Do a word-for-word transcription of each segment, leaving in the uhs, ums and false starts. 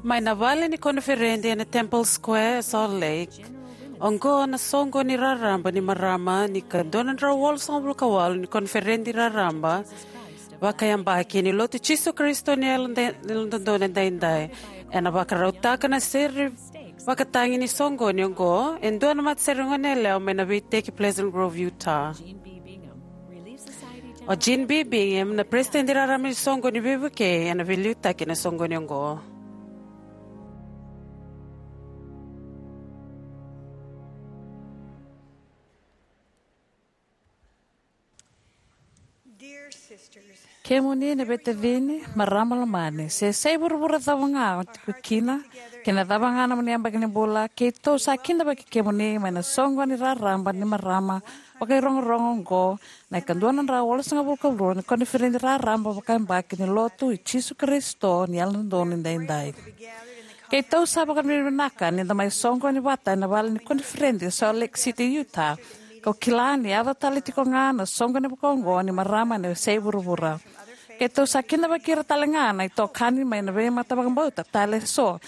Mai na vale ni koniferedi ena Temple Square e Salt Lake, oqo na soqoni raraba ni marama ni ka dua na drau walusagavulu ka walu ni koniferedi raraba vakayabaki ni Lotu Jisu Karisito ni Yalododonu Edaidai. Ena vakarautaka na sere vakatagi ni soqoni oqo e dua na matasere goneyalewa mai na veiteki Pleasant Grove, Utah. O Gene B. Bingham, na peresitedi raraba ni soqoni veivukei, ena veiliutaki na soqoni oqo. Kemuni na veitacini, marama lomani, se sa i vuravura cava ga o tiko kina, kei na cava ga na nomuni yabaki ni bula, keitou sa kidavaki kemuni mai na soqoni raraba ni marama vakairogorogo oqo, na ika dua na drau walusagavulu ka rua ni koniferedi raraba vakayabaki ni Lotu i Jisu Karisito ni Yalododonu Edaidai. Keitou sa vakavinavinaka ni da mai soqoni vata ena vale ni koniferedi e Salt Lake City, Utah. Kau kila ni yaco tale tiko ga na soqoni vakaoqo ni marama ena veiyasai vuravura. Keitou sa kidavaki ira tale ga na itokani mai na veimata vakabauta tale eso.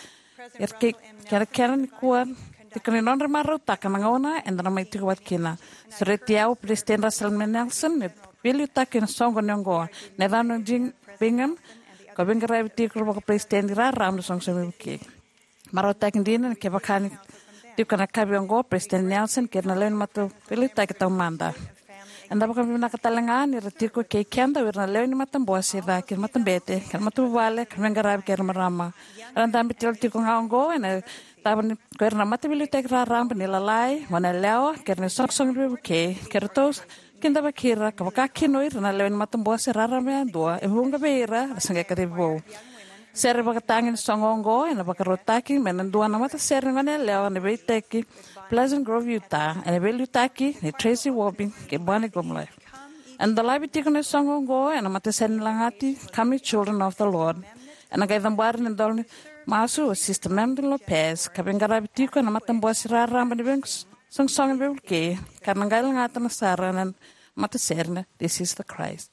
Ira kei kerekere nikua, tiko ni nodra marautaka na gauna eda na mai tiko vata kina. Sureti au Peresitedi Russell M. Nelson me veiliutaki ena soqoni oqo, na yacana o Gene Bingham, ka veiqaravi tiko vakaperesitedi raraba na soqosoqo veivukei. Marautaki dina ni kevaka ni tiko na kavi oqo, Peresitedi Nelson kei ira na lewe ni mataveiliutaki taumada. Eda vakavinavinaka tale ga ni ra tiko kei keda o ira na lewe ni matabose, cakacaka, matabete, kei na matavuvale, ka veiqaravi kei ira na marama. Era dabe tale tiko ga oqo ena tava ni ko ira na mataveiliutaki raraba ni lalai, goneyalewa, kei ira na isoqosoqo veivukei, kei ratou kidavaki ira, ka vakakina o ira na lewe ni matabose raraba yadua e vuqa vei ira era se qai kacivi vou. Sere vakatagi ni soqo oqo ena vakarautaki mai na dua na matasere ni goneyalewa ena veiteki Pleasant Grove, Utah, ena veiliutaki nei Tracy Wobbe kei Bonnie Gumler. Ena dolavi tiko na soqo oqo ena matasere ni lagati Come Ye Children of the Lord. Ena qai cabori na idola ni masu o Sister Mandy Lopez, ka veiqaravi tiko ena matabose raraba ni veisoqosoqo veivukei, ka na qai lagata na sara na matasere na This Is the Christ.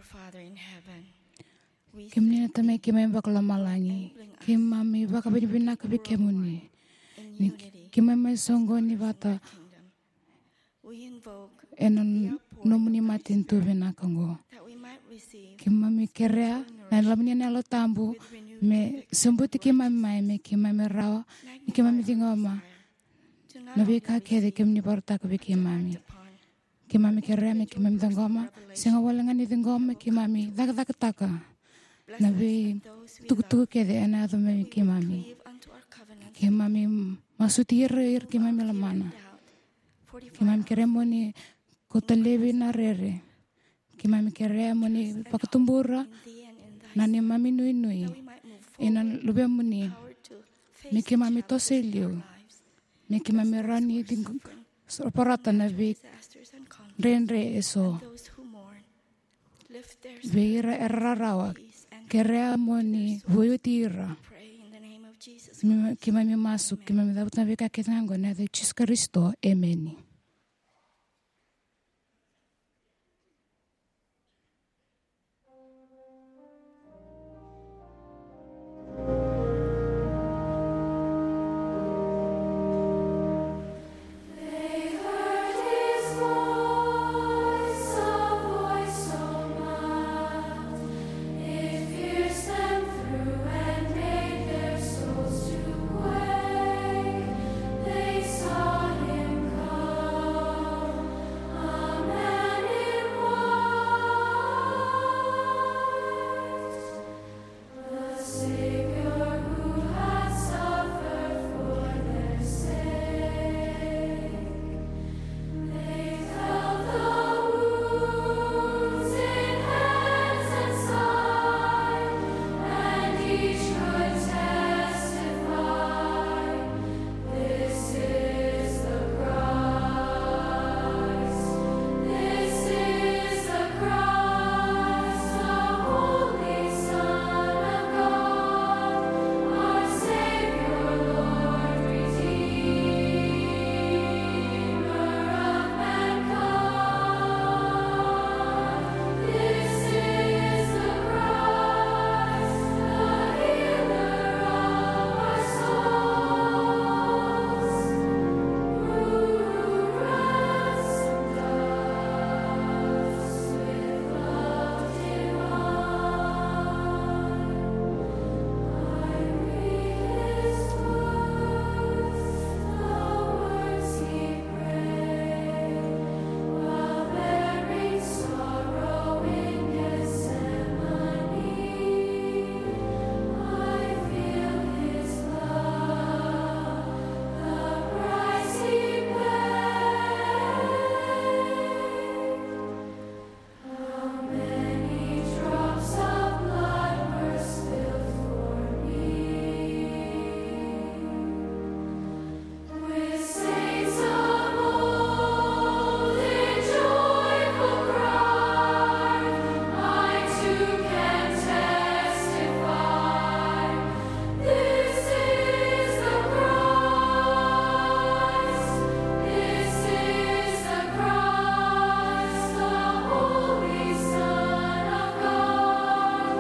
Father in heaven, we Kemuni na Tamai keimami vakalomalagi, keimami vakavinavinaka vei kemuni. Ni keimami mai soqoni vata ena nomuni matanitu vinaka oqo. Keimami kerea na lomani na Yalo Tabu me sobuti keimami mai, me keimami rawa ni keimami ciqoma na veika kece kemuni vakarautaka vei keimami. Keimami kerea me keimami ciqoma, sega wale ga ni ciqoma, keimami cakacakataka na veitukutuku kece ena yaco mai vei keimami. Keimami masuti ira, ira keimami lomana. Keimami kerea mo ni kauta laivi na rere. Keimami kerea mo ni vakatubura na neimami nuinui ena luvemuni, me keimami toso i liu, me keimami rawa ni ciqo-, so-, parata na veidredre eso. Vei ira era rarawa, kerea mo ni veivuti ira. Me keimami masu, keimami cavuta na veika kece ga oqo ena yaca i Jisu Karisito. Emeni. This is the Christ, this is the Christ, the Holy Son of God, our Savior, Lord, Redeemer of mankind. This is the Christ, the healer of our souls. This is the Christ, this is the Christ, the Holy Son of God,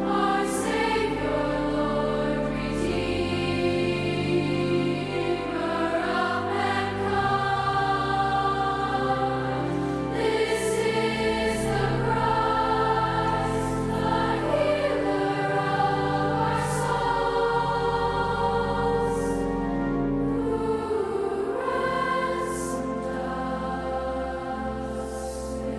our Savior, Lord, Redeemer of mankind. This is the Christ, the healer of our souls, who ransomed us with love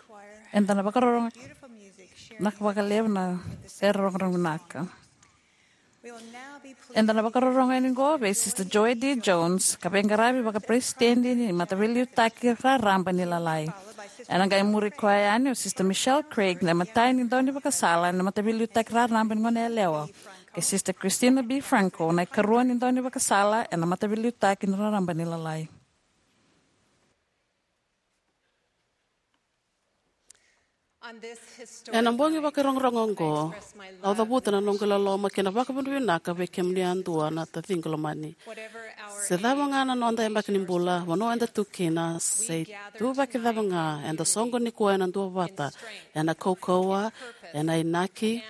divine. Eda na vakarorogo vinaka vakalevu na sere rogorogo vinaka. Eda na vakarorogo yani qo vei Sister Joy D Jones, ka veiqaravi vakaperesitedi ni Mataveiliutaki Raraba ni Lalai. Ena qai muri koya yani o Sister Michelle Craig na imatai ni daunivakasala ena Mataveiliutaki Raraba ni Goneyalewa, kei Sister Christina B. Franco na ikarua ni daunivakasala ena Mataveiliutaki ni Raraba ni Lalai. Ena bogi vakarogorogo oqo, au cavuta na noqu loloma kei na vakavinavinaka vei kemuni yadua na taciqu lomani. Se cava ga na noda yabaki ni bula, vanua eda tu kina, se ituvaki cava ga, eda soqoni koya ena duavata, ena kaukauwa, ena inaki,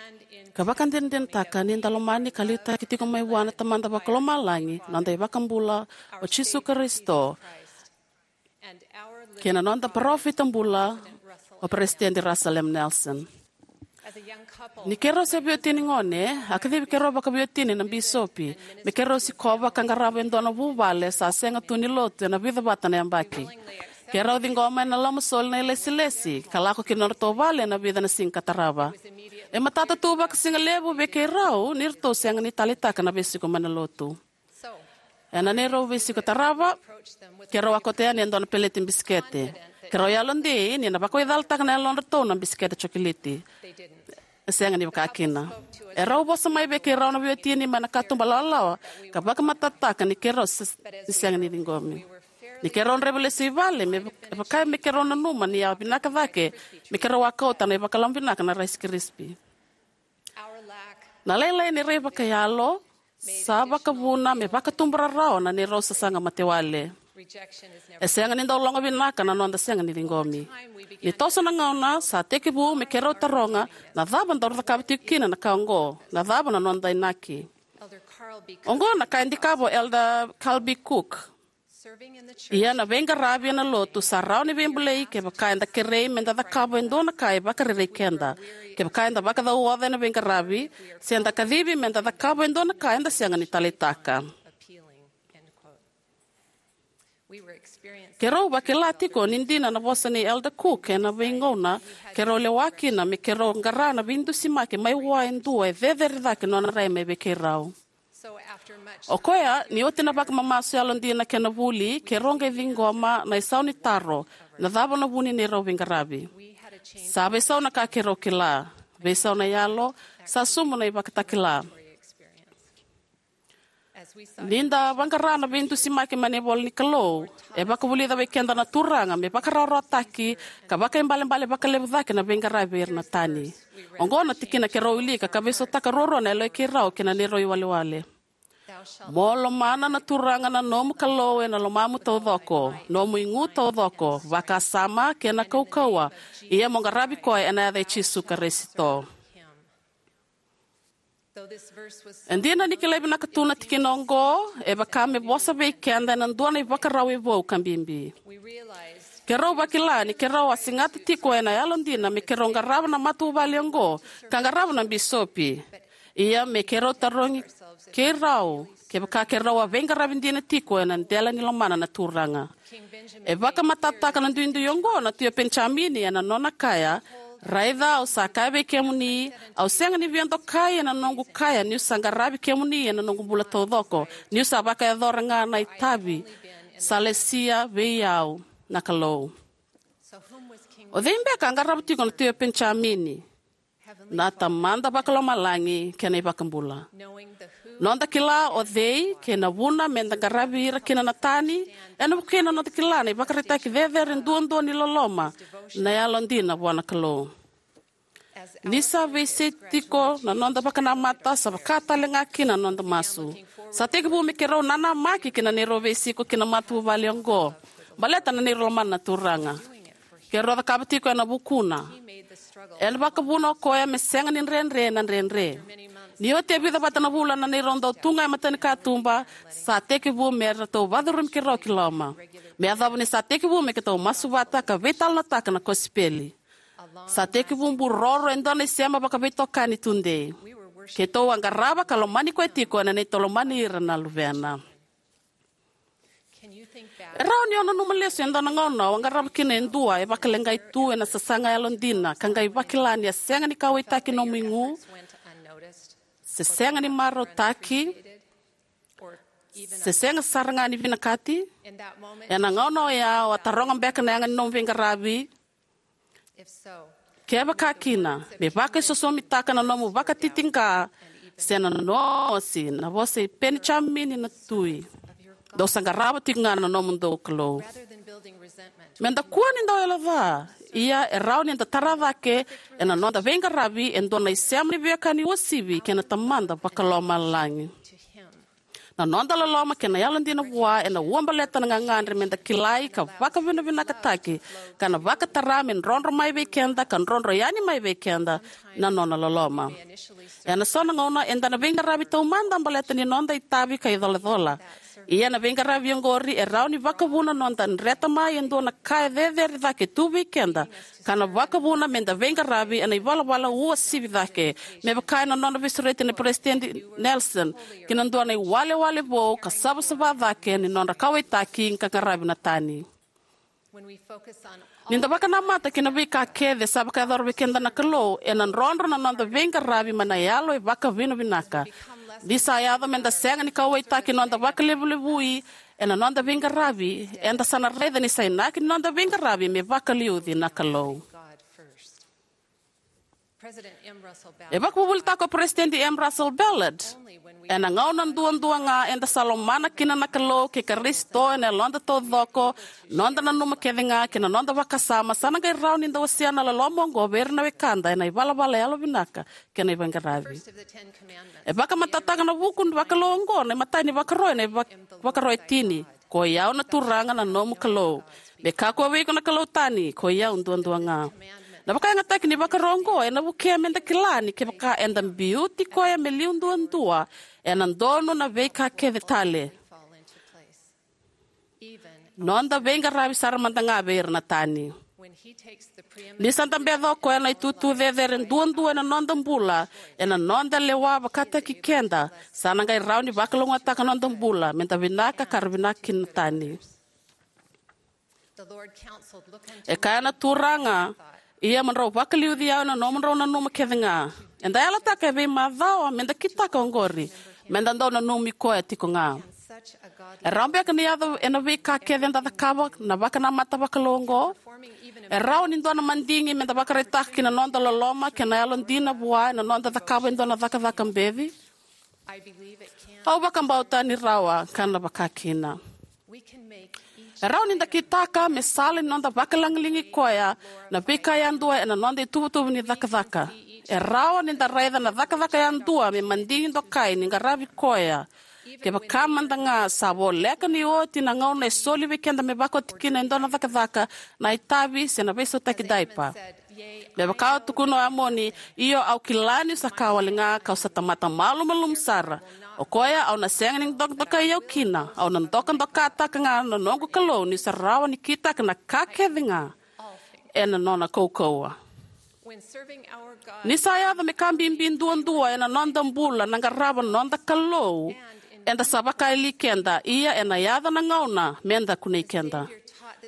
ka vakadinadinataka ni da lomani ka liutaki tiko mai vua na Tamada Vakalomalagi, noda iVakabula o Jisu Karisito, kei na noda parofita bula o Peresitedi Russell M. Nelson. Ni keirau se veiwatini gone, a kacivi keirau vakaveiwatini na bisopi me keirau sikova ka qarava e dua na vuvale sa sega tu ni lotu ena vica vata na yabaki. Keirau ciqoma ena lomasoli na ilesilesi ka lako ki na nodratou vale ena vica na siga ka tarava. E matata tu vakasigalevu vei keirau ni ratou sega ni taleitaka na veisiko mai na lotu. Ena neirau veisiko tarava, keirau a kauta yani e dua na peleti bisikete. Keirau yalodei ni na vakawaicalataka na yalodratou na bisikete jokiliti. E sega ni vaka kina. Erau vosa mai vei keirau na veiwatini mai na katuba lawalawa ka vakamatatataka ni keirau se- ni sega ni ciqomi. Ni keirau draiva lesu i vale, me vaka me keirau nanuma ni a vinaka cake me keirau a kauta na ivakalama vinaka na Rice Krispy. Na lailai ni rai vakayalo sa vakavuna me vakatubu rarawa na neirau sasaga matewale. E sega ni dau loga vinaka na noda sega ni ciqomi. Ni toso na gauna, sa tekivu me keirau taroga, na cava daru cakava tiko kina na ka oqo? Na cava na noda inaki? Oqo na ka e dikeva o Elder Carl B. Cook. Ia na veiqaravi ena lotu sa rawa ni veibulai kevaka eda kerei me da cakava e dua na ka e vakarerei keda, kevaka eda vakacauoca ena veiqaravi, se da kacivi me da cakava e dua na ka eda sega ni taleitaka. Keirau vakila tiko ni dina na vosa nei Elder Cook ena veigauna keirau lewa kina me keirau qara na veidusimaki mai vua e dua e cecere cake nona rai mai vei keirau. O koya, ni oti na vakamamasu yalodina kei na vuli, keirau qai ciqoma na isau ni taro, na cava na vu ni neirau veiqaravi? Sa veisau na ka keirau kila, veisau na yalo, sa sumu na ivakatakila. Ni da vaqara na veidusimaki mai na ivola ni Kalou, e vakavulica vei keda na Turaga me vakarawarawataki ka vakaibalebale vakalevu cake na veiqaravi vei ira na tani. Oqo na tikina keirau wilika ka veisautaka ruarua na yaloi keirau kei na neirau iwalewale. Mo lomana na Turaga na nomu Kalou ena lomamu taucoko, nomu igu taucoko, vakasama kei na kaukauwa, ia mo qaravi koya ena yaca i Jisu Karisito. E dina ni kilai vinaka tu na tikina oqo, e vaka me vosa vei keda ena dua na ivakarau e vou ka bibi. Keirau vakila ni keirau a segata tiko ena yalodina me keirau qarava na matavuvale oqo ka qarava na bisopi. Ia me keirau tarogi keirau kevaka keirau a veiqaravi dina tiko ena dela ni lomana na Turaga. E vakamatatataka na duidui oqo na Tui o Penijamini ena nona kaya: Raica, au sa kaya vei kemuni, au sega ni via dokai ena noqu kaya niu sa qaravi kemuni ena noqu bula taucoko, niu sa vakayacora ga na itavi sa lesia vei au na Kalou. O cei beka a qarava tiko na Tui o Penijamini? Na Tamada Vakalomalagi kei na iVakabula. Noda kila o cei kei na vuna me da qaravi ira kina na tani, ena vukei na noda kila na ivakaraitaki cecere duadua ni loloma, na yalodina vua na Kalou. Ni sa veisei tiko na noda vakanamata, sa vaka tale ga kina na noda masu. Sa tekivu me keirau nanamaki ki na neirau veisiko ki na matavuvale oqo, baleta na neirau lomana na Turaga. Keirau cakava tiko ena vukuna. Ena vakavuna o koya me sega ni dredre na dredre. Ni oti e vica vata na vula na neirau dau tu ga e matanikatuba, sa tekivu me ratou vacurumi keirau ki loma. Me yacova ni sa tekivu me keitou masu vata ka veitalanoataka na kosipeli. Sa tekivu buroro e dua na isema vakaveitokani tudei. Keitou a qarava ka lomani koya tiko ena neitou lomani ira na luvena. E rawa ni o nanuma lesu e dua na gauna o a qarava kina e dua e vakaleqai tu ena sasaga yalodina ka qai vakila ni a sega ni kauwaitaki nomu igu, se sega ni marautaki, se sega sara ga ni vinakati? Ena gauna oya o a taroga beka na yaga ni nomu veiqaravi, Kevaka kina, me vakaisosomitaka na nomu vakatitiqa se na nomu osi na vosa i Penijamini na tui. Dou sa qarava tiko ga na nomudou Kalou. Meda kua ni dau yalo ca, ia e rawa ni da tara cake ena noda veiqaravi e dua na isema ni veiwekani uasivi kei na Tamada Vakalomalagi. Na noda loloma kei na yalodina vua ena ua baleta na gagadre meda kilai ka vakavinavinakataki, ka na vakatara me drodro mai vei keda ka drodro yani mai vei keda na nona loloma. Ena so na gauna eda na veiqaravi taumada baleta ni noda itavi ka icolacola. Ia na veiqaravi oqori e rawa ni vakavuna noda dreta mai e dua na ka e cecere cake tu vei keda, ka na vakavuna meda veiqaravi ena ivalavala uasivi cake, me vaka ena nona veisureti na Peresitedi Nelson ki na dua na iwalewale vou ka savasava cake ni nodra kauwaitaki ka qaravi na tani. Ni da vakanamata ki na veika kece sa vakayacora vei keda na Kalou, ena drodro na noda veiqaravi mai na yalo e vakavinavinaka. Ni sa yaco meda sega ni kauwaitaki noda vakalevulevui ena noda veiqaravi, eda sa na raica ni sa inaki ni noda veiqaravi me vakaliuci na Kalou. E vakavuvulitaka o Peresitedi M. Russell Ballard, ena gauna duadua ga eda sa lomana kina na Kalou kei Karisito ena yaloda taucoko, noda nanuma kece ga kei na noda vakasama, sa na qai rawa ni da wasea na loloma oqo vei ira na wekada ena ivalavala yalovinaka kei na iveiqaravi. E vakamatatataka na vuku ni vakalou oqo na imatai ni vakaro ena ivak- vakaro e tini: Ko i au na Turaga na nomu Kalou. Me kakua vei iko na kalou tani, ko i au duadua ga. Na vakayagataki ni vakaro oqo ena vukea meda kila ni kevaka eda biuti koya me liu duadua, ena donu na veika kece tale, noda veiqaravi sara mada ga vei ira na tani. Ni sa dabeca o koya na itutu cecere duadua ena noda bula, ena noda lewa vakataki keda, sa na qai rawa ni vakalougatataka noda bula meda vinaka ka ra vinaka kina na tani. E kaya na Turaga, ia mo drau vakaliuci au ena nomudrau nanuma kece ga. Eda yalataka e veimacawa meda kitaka oqori, meda dau nanumi koya tiko ga. E rawa beka ni yaco ena veika kece eda cakava na vakanamata vakalou oqo? E rawa ni dua na madigi meda vakaraitaka kina noda loloma kei na yalodina vua ena noda cakava e dua na cakacaka beci? Au vakabauta ni rawa ka na vakakina. E rawa ni da kitaka me sala ni noda vakalagilagi koya na veika yadua ena noda ituvatuva ni cakacaka. E rawa ni da raica na cakacaka yadua me madigi dokai ni qaravi koya, kevaka mada ga sa voleka ni oti na gauna e soli vei keda me vakaoti kina e dua na cakacaka, na itavi se na veisautaki daipa. Me vaka a tukuna o Amoni, io, au kila niu sa ka wale ga, kau sa tamata malumalumu sara. O koya, au na sega ni dokadokai au kina, au na dokadokataka ga na noqu Kalou niu sa rawa ni kitaka na ka kece ga ena nona kaukauwa. Ni sa yaco me ka bibi duadua ena noda bula na qarava na noda Kalou, eda sa vakayali keda, ia ena yaco na gauna meda kunei keda.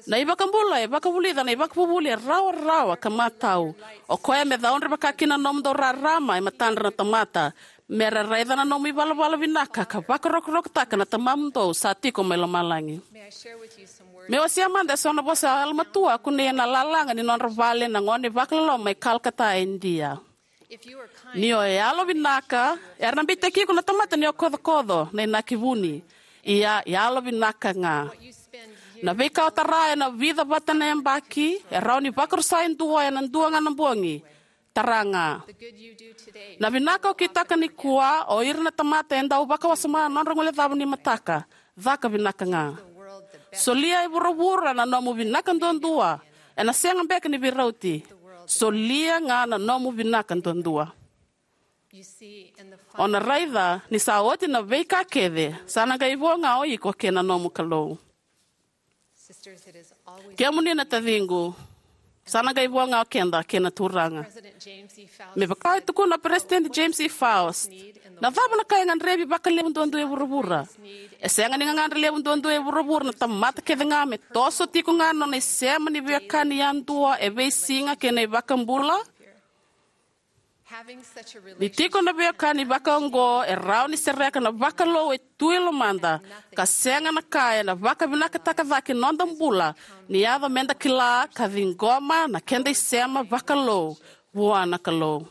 Na iVakabula e vakavulica na ivakavuvuli e rawarawa ka matau. O koya me caudre vakakina na nomudou rarama e matadra na tamata, me ra raica na nomu ivalavala vinaka ka vakarokorokotaka na Tamamudou sa tiko mai lomalagi. Meu wasea mada eso na vosa yalomatua a kunei ena lalaga ni nodra vale na gone vakaloloma mai Calcutta, Idia. Ni o yalovinaka, era na beitaki iko na tamata ni o kocokoco, na inaki vuni. Ia, yalovinaka ga. Na veika o tara ena vica vata na yabaki e rawa ni vakarusa e dua ena dua ga na bogi. Tara ga. Na vinaka o kitaka nikua, o ira na tamata e dau vakawasoma na nodra guilecava ni mataka. Caka vinaka ga. Solia e vuravura na nomu vinaka duadua. Ena sega beka ni veirauti. Solia ga na nomu vinaka duadua. O na raica ni sa oti na veika kece, sa na qai vo ga o iko kei na nomu Kalou. Kemuni na taciqu, sa na qai vo ga o keda kei na Turaga. Me vaka e tukuna o Peresitedi James E. Faust, na cava na ka e gadrevi vakalevu duadua e vuravura? E sega ni gagadre levu duadua e vuravura na tamata kece ga me toso tiko ga na nona isema ni veiwekani yadua e veisiga kei na iVakabula? Ni tiko na veiwekani vakaoqo, e rawa ni sereka na vakalou e tu e lomada, ka sega na ka ena vakavinakataka cake noda bula, ni yaco meda kila ka ciqoma na keda isema vakalou vua na Kalou.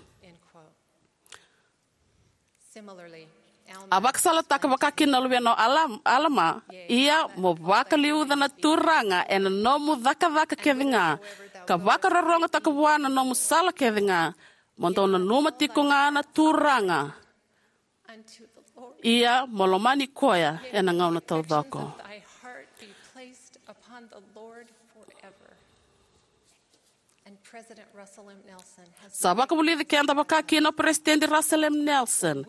A vakasalataka vakakina na luvena o Alam-, Alama, ia mo vakaliuca na Turaga ena nomu cakacaka kece ga, ka vakarorogotaka vua na nomu sala kece ga, mo dou nanuma tiko ga na Turaga, ia mo lomani koya ena gauna taucoko. Sa vakavulici keda vakakina o Peresitedi Russell M. Nelson,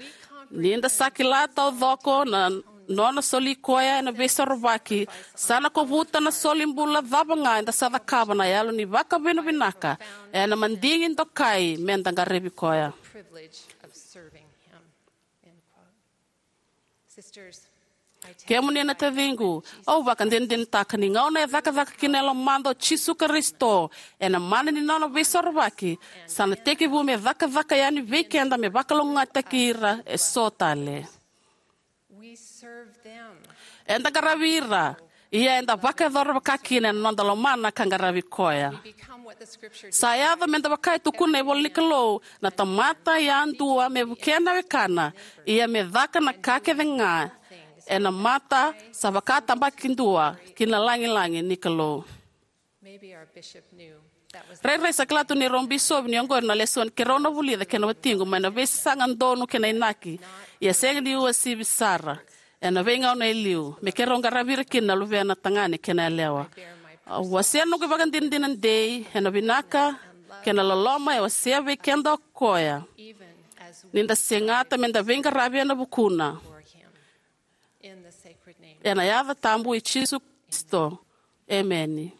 ni da sa kila taucoko na nona soli koya ena veisorovaki, sa na kovuta na soli bula cava ga eda sa cakava na yalo ni vakavinavinaka ena madigi dokai meda qaravi koya. Kemuni na taciqu, au vakadinadinataka ni gauna e cakacaka kina e lomada o Jisu Karisito ena mana ni nona veisorovaki, sa na tekivu me cakacaka yani vei keda me vakalougatataki ira eso tale. Eda qaravi ira, ia eda vakayacora vakakina ena noda lomana ka qaravi koya. Sa yaco meda vaka e tukuna na ivola ni Kalou, na tamata yadua me vukea na wekana, ia me caka na ka kece ga ena mata sa vakatabakidua ki na lagilagi ni Kalou. Rairai sa kila tu ni rau bisovi ni oqori na lesoni keirau na vulica kei na watiqu mai na veisasaga donu kei na inaki, ia sega ni uasivi sara ena veigauna e liu, me keirau qaravi ira kina na luvena tagane kei na yalewa. Au wasea noqu ivakadinadina dei ena vinaka kei na loloma e wasea vei keda o koya, ni da segata meda veiqaravi ena vukuna. Ena yaca tabu i Jisu Karisito. Emeni.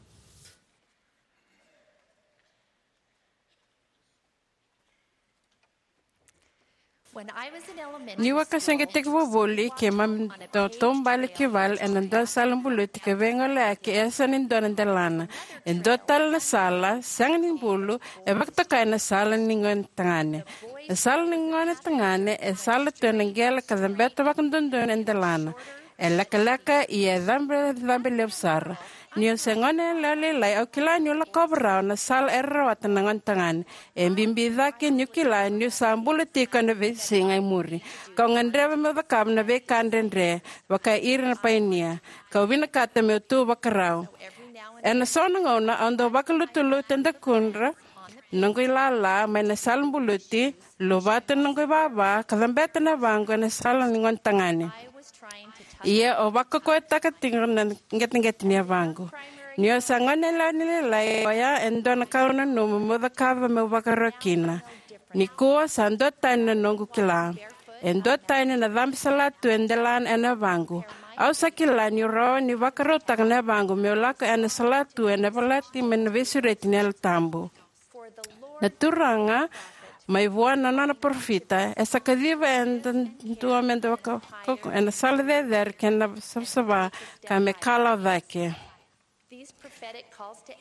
Niu a ka sega tekivu voli, keimami dau taubale ki vale ena dua sala buluti ka veigoleaki e yasa ni dua na delana. E dua tale na sala, sega ni bulu, e vakatokai na sala ni gone tagane. Na sala ni gone tagane e sala tu ena qele ka cabeta vakadodonu e delana. E lekaleka ia e cabecabe levu sara. Niu se gone yalewa lailai, au kila niu lakova rawa na sala era rawata na gone tagane. E bibi cake niu kila niu sa bula tiko ena veisiga e muri, kau gadreva meu cakava na veika dredre vaka ira na painia, kau vinakata meu tu vakarau. Ena so na gauna au dau vakalutulutu e dakudra noqu ilala mai na sala buluti, luvata noqu ivava ka cabeta na yavaqu ena sala ni gone tagane. Ia au vakaukauwataka tiko na qeteqete ni yavaqu. Niu sa gone yalewa ni lailai, oya e dua na ka au nanuma meu cakava meu vakarau kina. Nikua sa dua tani na noqu kila. E dua tani na cabe salatu e delana ena yavaqu. Au sa kila niu rawa ni vakarautaka na yavaqu meu lako ena salatu ena valati mai na veisureti ni Yalo Tabu. Na Turaga, mai vua na nona parofita, e sa kaciva eda dua meda vaka, ena sala cecere kei na savasava, ka me kalawa cake.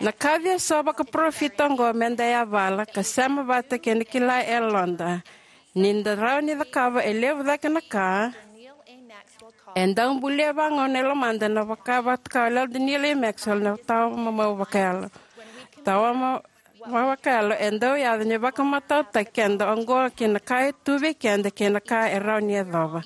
Na kaci eso vakaparofita oqo meda yavala ka sema vata kei na kila e yaloda. Ni da rawa ni cakava e levu cake na ka, e dau bulia vagauna e lomada na vaka, vaka o Elder Neal A. Maxwell na tawa mamau vakayalo. Tawa ma- Vakayalo e dau yaco ni vakamatautaki keda oqo ki na ka e tu vei keda kei na ka e rawa ni yacova.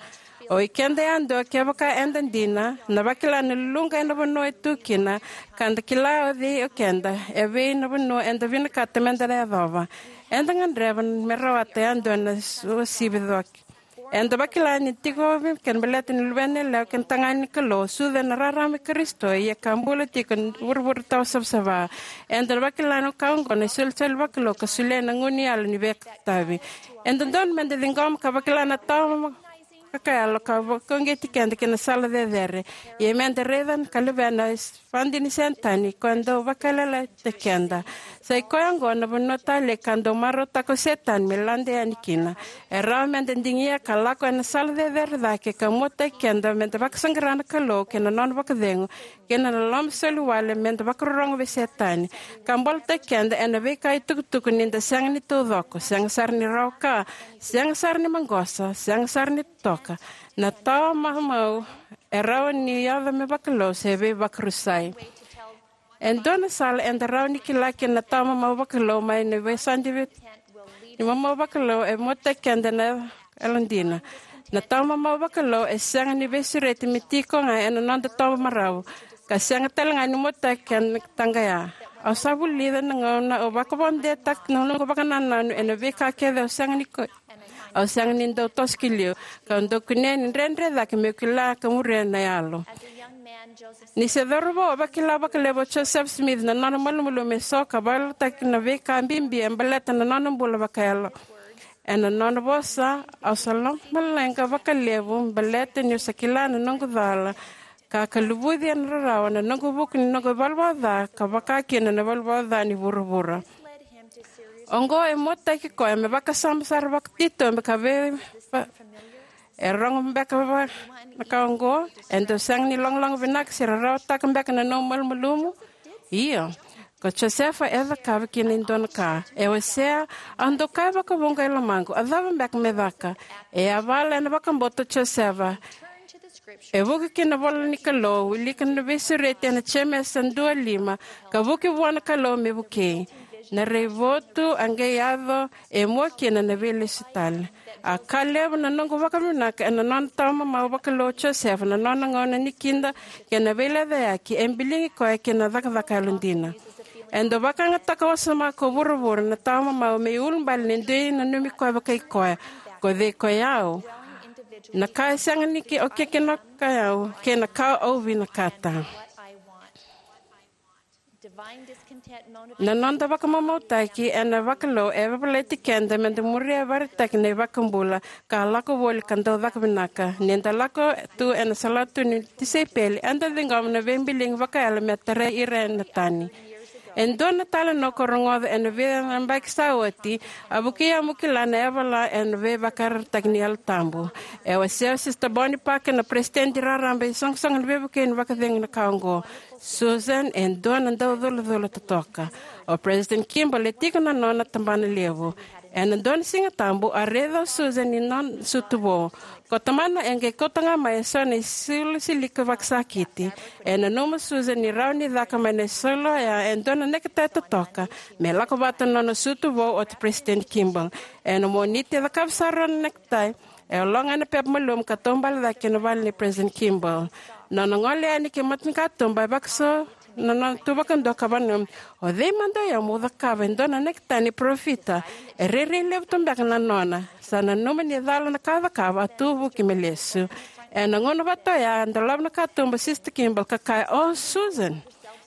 O i keda yadua, kevaka eda dina, na vakila na luluqa ena vanua e tu kina, ka da kila o cei o keda, evei na vanua eda vinakata meda na yacova. Eda gadreva me rawata yadua na uasivi coki. Eda vakila ni tiko vei keda baleta ni luvena yalewa kei na tagane ni Kalou, sucu ena rarama i Karisito, ia ka bula tiko ena vuravura tawa savasava. Eda vakila na ka oqo na isolisoli vakalou ka solia na gunu yalo ni veitavi. E dodonu meda ciqoma ka vakila na tawa vakayalo ka vakauqeti keda ki na sala cecere. Ia meda raica ka levea na vadi ni Setani, ko e dau vakayalolailaitaki keda. Sa i koya oqo na vanua talei ka dau marautaka o Setani me lade yani kina. E rawa meda digia ka lako ena sala cecere cake ka muataki keda meda vakasaqara na Kalou kei na nona vakacegu kei na loloma soli wale meda vakarorogo vei Setani, ka bolataki keda ena veika itukutuku ni da sega ni taucoko, sega sara ni rawa ka, sega sara ni maqosa, sega sara ni totoka. Na tawa mamau e rawa ni yaco me vakalou se veivakarusai. E dua na sala eda rawa ni kila kina na tawa mamau vakalou mai na veisau ni mamau vakalou e muataki keda na yalodina. Na tawa mamau vakalou e sega ni veisureti me tiko ga ena noda toba marau, ka sega tale ga ni muataki keda na taqaya. Au sa vulica na gauna au vakavakadetaka na noqu vakanananu ena veika kece au sega ni ko Au sega ni dau toso ki liu, ka dau kunea ni dredre cake meu kila ka muria na yalo. Ni se cauravou, a vakila vakalevu o Joseph Smith na nona malumalumu eso ka vakarautaki na veika bibi e baleta na nona bula vakayalo. Ena nona vosa, au sa lomaleqa vakalevu baleta niu sa kila na noqu cala, ka ka luvuci ena rarawa na noqu vuku ni noqu ivalavala ca, ka vaka kina na ivalavala ca ni vuravura. Oqo e muataki koya me vakasama sara vakatitobu ka vei va- e rogo beka va- na ka oqo, e dau sega ni logologo vinaka se rarawataka beka na nomu malumalumu. Io, ko Josefa e cakava kina e dua na ka. E wasea, au dau kaya vakavuqa e lomaqu, a cava beka me caka? E a vala ena vakabauta o Josefa. E vuki ki na vola ni Kalou, wilika na veisureti ena Jemesa dua lima, ka vuki vua na Kalou me vukei. Na raivotu a qai yaco, e mua kina na veilesu tale. A ka levu na noqu vakavinaka ena nona tawa mamau vakalou o Josefa na nona gauna ni kida kei na veilecayaki e biligi koya kei na cakacaka yalodina. E dau vakayagataka wasoma ko vuravura na tawa mamau me iulubale ni dui nanumi koya vakai koya. Ko cei ko yau? Na ka e sega ni ki- o kekena ka yau kei na ka au vinakata. Na noda vakamamautaki ena vakalou e vavalati keda meda muria e vakaraitaki na iVakabula ka lako voli ka dau caka vinaka. Ni da lako tu ena salatu ni tisaipeli, eda ciqoma na veibiligi vakayalo me tarai ira ena tani. E dua na talanoa ko rogoca ena veiyabaki sa oti, a vukei au meu kila na yavala ena veivakayarayarataki ni Yalo Tabu. E wasea o Sister Bonnie Parker, na peresitedi raraba ni iSoqosoqo ni Veivukei, ni vakacegu na ka oqo. Susan e dua na dauculacula totoka. O President Kimball e tiko na nona tabana levu. Ena dua na Siga Tabu, a raica o Susan ni nona sucu vou. Ko tamana e qai kauta ga mai eso na isulu silika vakasakiti. E nanuma o Susan ni rawa ni caka mai na isulu oya e dua na necktie totoka me lako vata na nona sucu vou oti President Kimball. Ena Moniti e cakava sara na necktie. E ologa ena pepa malumu ka taubale cake ki na vale nei President Kimball. Nona gole yani ki matanikatuba e vakaso na nona tu vakadua ka vakananuma, o cei mada o yau meu cakava e dua na necktie ni parofita? E rairai levu tu beka na nona. Sa nanuma ni cala na ka a cakava, a tu vuki me lesu. Ena gauna vata oya a dolava na katuba o Sister Kimball ka kaya, "O Susan."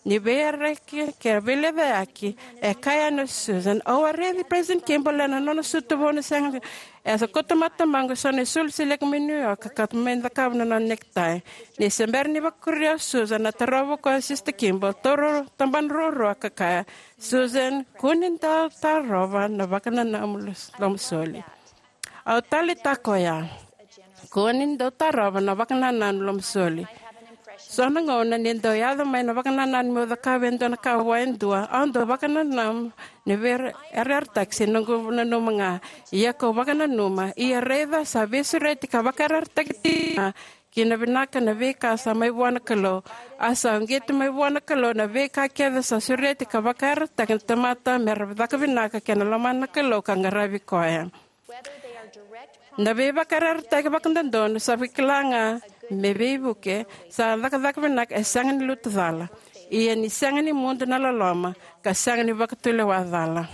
Ni veiyaraki kei na veilecayaki, e kaya yani o Susan, "Au a raici President Kimball ena nona sucu vou na sega ni, e sa kauta mai o tamaqu eso na isulu silika mai New York ka kauta mai cakava na nona necktie." Ni se bera ni vakuria o Susan, a tarova o koya o Sister Kimball, taura tabana ruarua ka kaya, "Susan, kua ni dau tarova na vakanananu lomasoli." Au taleitaka oya. Kua ni dau tarova na vakanananu lomasoli. So na gauna ni dau yaco mai na vakanananu meu cakava e dua na ka vua e dua, au dau vakananuma ni veiyarayarataki se noqu nanuma ga. Ia kau vakananuma, ia raica sa veisureti ka vakayarayarataki tiko ga ki na vinaka na veika sa mai vua na Kalou. A sa uqeti mai vua na Kalou na veika kece sa sureti ka vakayarayarataki na tamata me ra caka vinaka kei na lomana na Kalou ka qaravi koya. Na veivakayarayarataki vakadodonu sa vakila ga me veivuke, sa cakacaka vinaka, e sega ni lutu cala. Ia ni sega ni mudu na loloma, ka sega ni vakatulewa cala.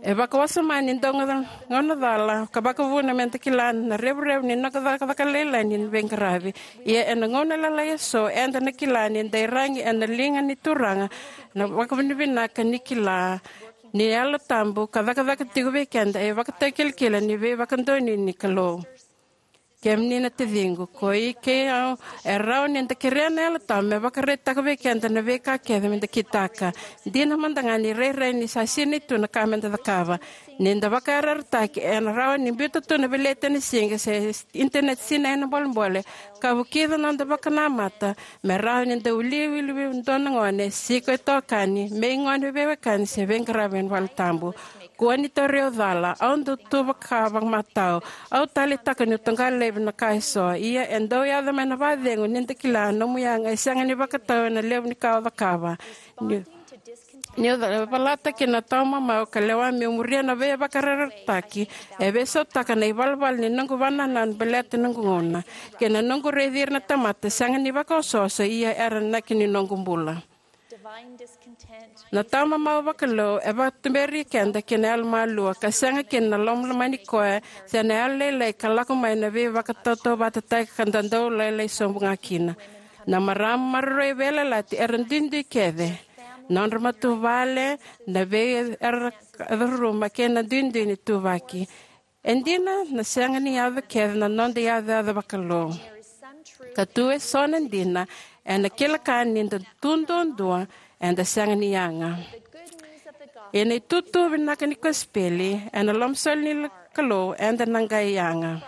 E vakawasoma ni dau ga- gauna cala ka vakavuna me da kila na revurevu ni noda cakacaka lailai ni veiqaravi. Ia ena gauna lailai eso eda na kila ni da iyaragi ena liga ni Turaga na vakavinavinaka ni kila ni Yalo Tabu ka cakacaka tiko vei keda e ivakatakilakila ni veivakadonui ni Kalou. Kemuni na taciqu, ko i kei au, e rawa ni da kerea na Yalo Tabu me vakaraitaka vei keda na veika kece me da kitaka. Dina mada ga ni rairai ni sa sinai tu na ka me da cakava. Ni da vakayarayarataki, ena rawa ni biuta tu na veleti ena siga se internet sinai ena bolebole, ka vukica na noda vakanamata me rawa ni da wiliwili vei dua na gone, se ko itokani, me igone, veiwekani se veiqaravi ena valetabu. Kua ni tauri au cala, au dau tu vaka vakamatau, au taleitaka niu toqa laivi na ka eso. Ia e dau yaco mai na vakacegu ni da kila na nomu yaga e sega ni vakatau ena levu ni ka o cakava. Niu, niu ca-, valata kina na tawa mamau ka lewa meu muria na veivakayarayarataki, e veisautaka na ivalavala ni noqu vakanananu baleta noqu gauna kei na noqu raici ira na tamata sega ni vakaosooso, ia era inaki ni noqu bula. Na tawa mamau vakalou e vakatuberi keda ki na yalomalua ka sega kina na lomani koya se na yalolailai ka lako mai na veivakatautauvatataki ka da dau lailai sobu ga kina. Na marama maroroi veiyalayalati era duidui kece. Nodra matavuvale, na vei era raruma kei na duidui ni ituvaki. E dina na sega ni yaco kece na noda iyacoyaco vakalou. Ka tu eso na dina, ena kila ka ni da tu duadua, eda sega ni yaga. Ena itutu vinaka ni kosipeli, ena lomasoli ni Kalou, eda na qai yaga.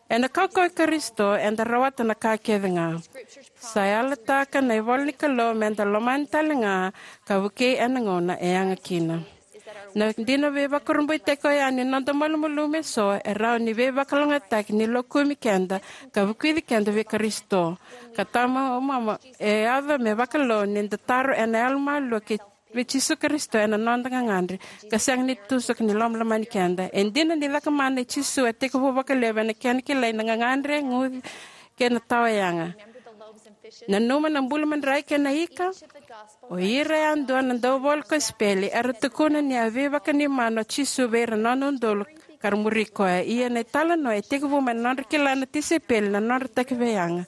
Ena kaukauwa i Karisito, eda rawata na ka kece ga. Sa yalataka na ivola ni Kalou, me da lomani tale ga, ka vukei ena gauna e yaga kina. Na dina veivakurabuitaki oya ni noda malumalumu eso e rawa ni veivakalougatataki ni lokumi keda ka vukici keda vei Karisito. Ka tawa mamau e yaco me vakalou ni da taro ena yalomalua kei vei Jisu Karisito ena noda gagadre ka sega ni tusuka ni lomalomani keda. E dina ni cakamana i Jisu e tekivu vakalevu ena kena kilai na gagadre, guci kei na tawa yaga. Nanuma na bula madrai kei na ika. O ira yadua na dauvola kosipeli era tukuna ni a veivakanuinui o Jisu vei ira na nona udolu ka ra muri koya. Ia na italanoa e tekivu mai na nodra kila na tisaipeli na nodra takiveiyaga.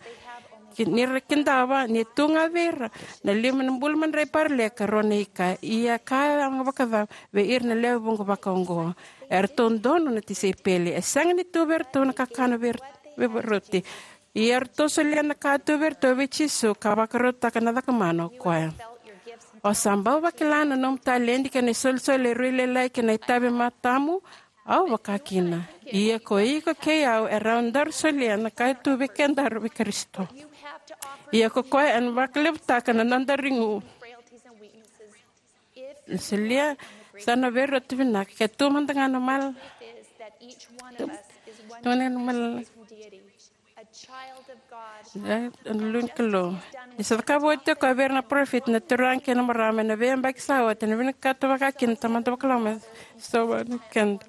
Ki-, ni ra kidava ni tu ga vei ira na lima na bula madrai paraleka, rua na ika. Ia ka yaga vakacava vei ira na lewe vuqa vakaoqo? Eratou donu na tisaipeli. E sega ni tu vei iratou na kakana vei ira-, veivakaroti. Ia eratou solia na ka tu vei iratou vei Jisu ka vakarautaka na cakamana o koya. O sa bau vakila na nomu taledi kei na isolisoli e rui lailai kei na itavi matamu? Au vaka kina. Ia ko iko kei au e rawa ni daru solia na ka e tu vei kedaru vei Karisito. Ia ko koya ena vakalevutaka na noda igu. Na solia sa na veirauti vinaka ke tu mada ga na mal-, tu, tu mada ga na mal-, e, na lulu ni Kalou. Ni sa cakava oti o koya vei ira na parofita, na turaga kei na marama ena veiyabaki sa oti, ena vinakata vaka kina na Tamada Vakalomalagi me sauma keda.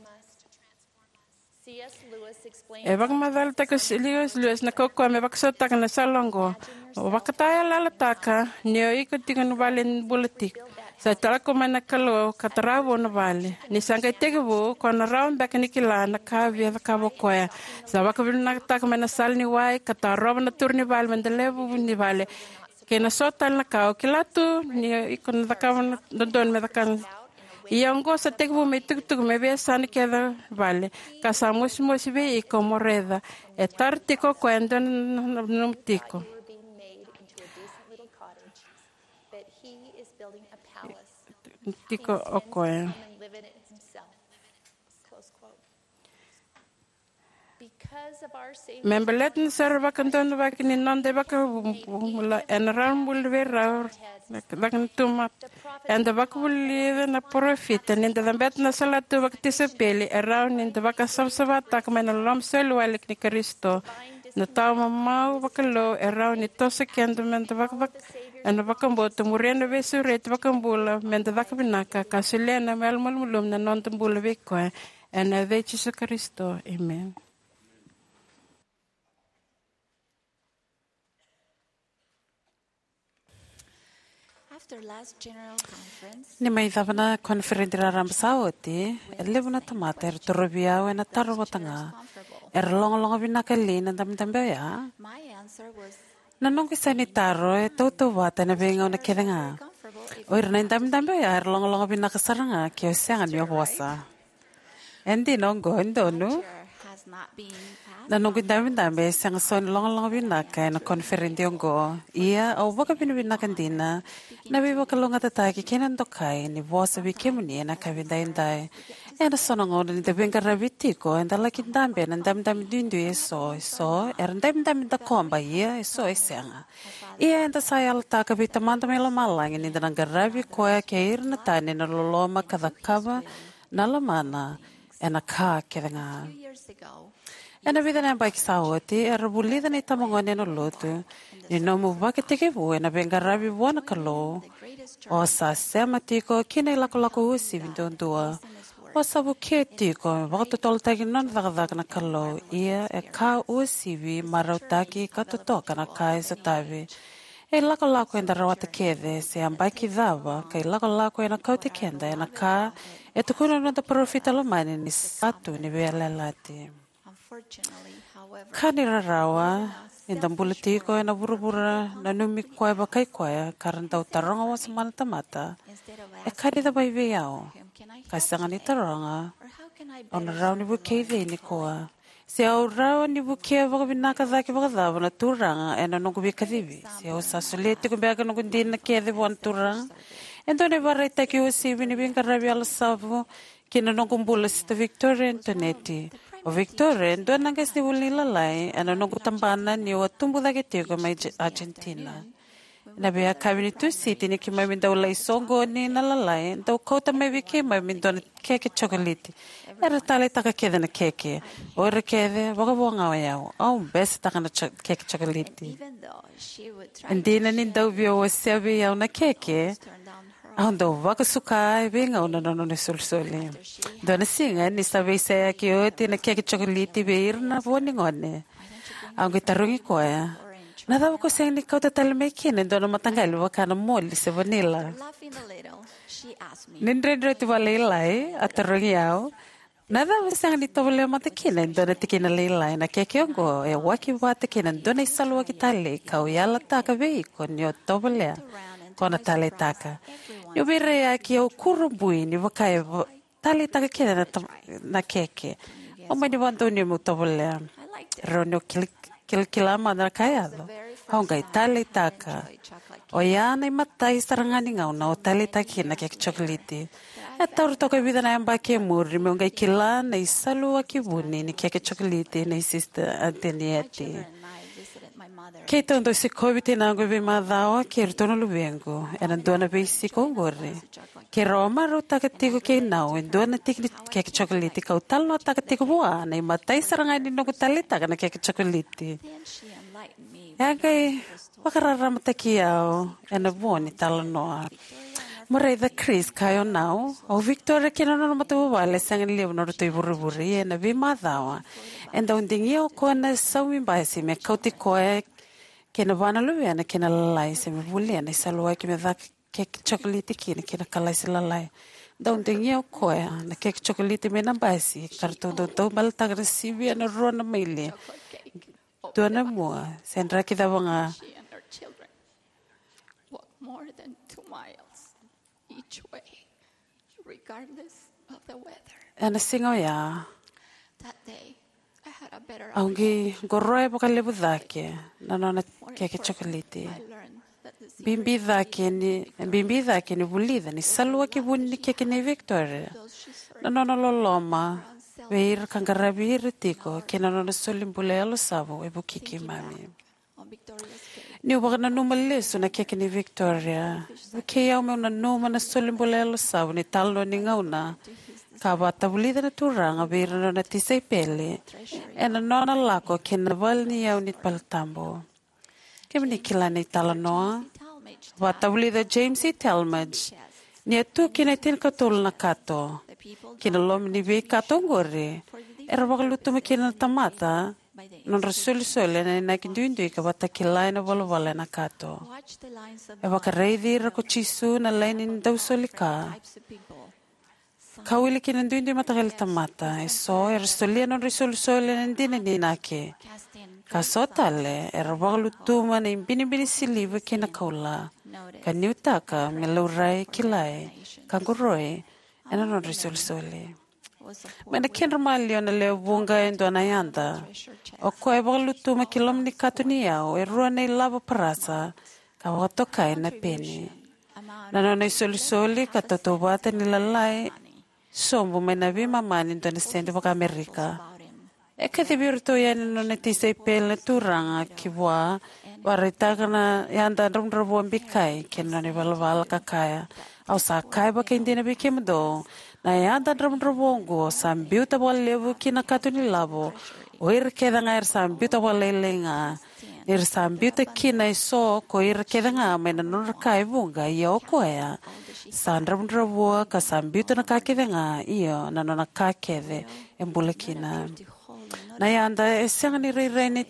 E vakamacalataka o C S Lewis na kaukauwa me vakasautaka na sala oqo. O vakatayalayalataka ni o iko tiko na vale ni bula tiko. Sa lako mai na Kalou ka tara vou na vale. Ni sa qai tekivu, ko na rawa beka ni kila na ka via cakava o koya. Sa vakavinakataka mai na sala ni wai ka tarova na turu ni vale me da levu ni vale. Kei na so tale na ka o kila tu ni iko na cakava na dodonu me cakava. Ia oqo sa tekivu me itukutuku me veiyasana kece vale, ka sa mosimosi vei iko mo raica. E tara tiko o koya e dua na, na, na, na tiko. Tiko o koya. Me baleta na sere vakadodonutaki ni noda iVakabula, ena rawa ni buli vei rau na caka ni tuma. Eda vakavulica na parofita ni da cabeta na salatu vakatisaipeli, e rawa ni da vakasavasavataka mai na loloma soliwale ni Karisito. Na tawa mamau vakalou e rawa ni toso keda me da vakavak-, ena vakabauta, muria na veisureti vakabula me da caka vinaka, ka solia na yalomalumalumu na noda bula vei koya. Ena yaca i Jisu Karisito. Emeni. After last general conference, ni mai cava na koniferedi raraba sa oti, e levu na tamata era torovi au ena taro vata ga. Era logologo vinaka li na dabedabe oya? My answer was, na noqu isa ni taro e tautauvata ena veigauna kece ga. O ira na idabedabe oya era logologo vinaka sara ga ke o sega ni o vosa. E dina oqo, e donu. Na noqu idabedabe e sega soti ni logaloga vinaka ena koniferedi oqo. Ia, au vakavinavinaka dina na veivakalougatataki kei na dokai ni vosa vei kemuni ena yakavi edaidai. Ena so na gauna ni da veiqaravi tiko, eda laki dabe ena dabedabe duidui eso, eso era dabedabe dakoba, ia eso e sega. Ia eda sa yalataka vei Tamada mai Lomalagi ni da na qaravi koya kei ira na tani ena loloma ka cakava na lomana ena ka kece ga. Ena vica na yabaki sa oti, era vulica na itabagone ena lotu ni nomu vakatekivu ena veiqaravi vua na Kalou, o sa sema tiko ki na ilakolako uasivi duadua. O sa vukea tiko me vakatotolotaki na nona cakacaka na Kalou, ia e ka uasivi, marautaki ka totoka na ka e sotavi. E ilakolako eda rawata kece, se yabaki cava ka ilakolako ena kauti keda ena ka e tukuna na noda parofita lomani ni sa tu ni veiyalayalati. Ka ni rarawa, ni da bula tiko ena vuravura nanumi koya vakai koya ka ra dau taroga wasoma na tamata, e ka ni cava vei au, ka sega ni taroga, au na rawa ni vukei cei nikua? Se au rawa ni vukea vakavinaka cake vakacava na Turaga ena noqu veikacivi? Se au sa solia tiko beka noqu dina kece vua na Turaga? E dua na ivakaraitaki uasivi ni veiqaravi yalosavu ki na noqu bula, Sister Victoria Antonetti. O Victoria e dua na qasenivuli ni Lalai ena noqu tabana niu a tubu cake tiko mai Argentina. Ena veiyakavi ni Tusiti ni keimami dau lai soqoni na Lalai, dau kauta mai vei keimami dua na keke cokoliti. Era taleitaka kece na keke. O ira kece, vakavo ga o yau, au besetaka na keke cokoliti. E dina ni dau via wasea vei au na keke, au dau vakasuka e veigauna na nona isolisoli. Dua na siga ni sa veiseyaki oti na keke cokoliti vei ira na vo ni gone, au qai tarogi koya, na cava ko sega ni kauta tale mai kina e dua na mataqali vaka na moli se vanila? Ni dredre oti vakalailai, a tarogi au, na cava sega ni tovolea mada kina e dua na tikina lailai? Na keke oqo e waki vata kei na dua na isaluwaki talei kau yalataka vei iko ni o tovolea, ko na taleitaka. Niu veiraiyaki au kurabui ni vaka e taleitaka kece na keke. Au mani vakadonui meu tovolea. Rau niu kilakila mada na ka e yaco, au qai taleitaka. Oya na imatai sara ga ni gauna au taleitaka kina na keke cokoliti. E taura toka e vica na yabaki e muri meu qai kila na isaluwaki vuni ni keke cokoliti nei Sister Antonetti. Keitou dau sikovi tinaqu e veimacawa kei iratou na luvequ ena dua na veisiko oqori. Keirau a marautaka tiko kei nau e dua na tiki ni keke cokoliti kau talanoataka tiko vua na imatai sara ga ni noqu taleitaka na keke cokoliti. E a qai vakararamataki au ena vo ni talanoa. Mo raica Chris, kaya o nau, o Victoria kei na nona matavuvale e sega ni levu nodratou ivurevure, ia ena veimacawa e dau digia o koya na saumi basi me kauti koya kei na va na luvena ki na Lalai se me volia na isaluwaki me caka keke cokoliti kina ki na kalasi lalai. Dau digia o koya na keke cokoliti mai na basi ka ratou dau taubaletaka na sivia na rua na maile, dua na mua se draki cava ga. Ena siga oya au qai qoroya vakalevu cake na nona keke cokoliti. Bibi cake ni, bibi cake ni vulica ni saluwaki vuni ni keke nei Victoria na nona loloma vei ira ka qaravi ira tiko kei na nona soli bula yalosavu e vukei keimami. Niu vakananuma lesu na keke nei Victoria, vukei au meu nanuma na soli bula yalosavu ni talanoa ni gauna ka vakatavulica na Turaga vei ira na nona tisaipeli ena nona lako ki na vale ni yau ni valetabu. Kemuni kila na italanoa? Vakatavulica o James E. Talmage ni a tu kina e tinikatolu na kato. Ki na loma ni veikato oqori era vakalutuma kina na tamata nodra isolisoli ena inaki duidui ka vakatakila ena ivalavala ena kato. E vakaraici ira ko Jisu na laini ni dau soli ka. Ka wili kina duidui mataqali tamata, eso era solia nodra isolisoli ena dina ni inaki. Ka so tale era vakalutuma na ibinibini siliva kei na koula ka niutaka me laurai, kilai ka qoroi ena nodra isolisoli. Mai na kedra maliwa na lewe vuqa e dua na yada. O koya e vakalutuma ki loma ni kato ni yau e rua na ilavo parasa ka vakatokai na peni. Na nona isolisoli ka tautauvata ni lalai sobu mai na veimama ni dua na sede vakaAmerika. E kacivi iratou yani na nona tisaipeli na Turaga ki vua, vakaraitaka na yada dravudravua bikai kei na nona ivalavala ka kaya, "Au sa kaya vakaidina vei kemudou, na yada dravudravua oqo sa biuta vakalevu ki na kato ni lavo o ira kece ga era sa biuta vakalailai ga. Ni ra sa biuta kina eso ko ira kece ga mai na nodra ka e vuqa, ia o koya sa dravudravua ka sa biuta na ka kece ga, io, na nona ka kece e bula kina." Na yada e sega ni rairai ni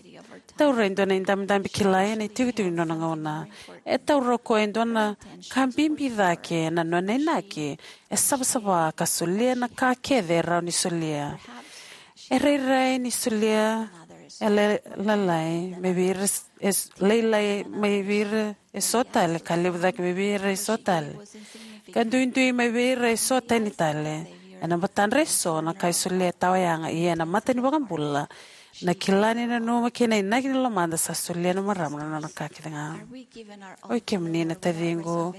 taura e dua na idabedabe kilai ena itikotiko ni nona gauna. E taura o koya e dua na ka bibi cake, na nona inaki e savasava ka solia na ka kece e rawa ni solia. E rairai ni solia e la-, lalai mai vei ira s-, e s-, lailai mai vei ira eso tale, ka levu cake mai vei ira eso tale, ka duidui mai vei ira eso tani tale. Ena matadra eso na ka e solia e tawa yaga, ia ena mata ni iVakabula na kila ni nanuma kei na inaki ni lomada sa solia na marama na nona ka kece ga. Oi kemuni na taciqu,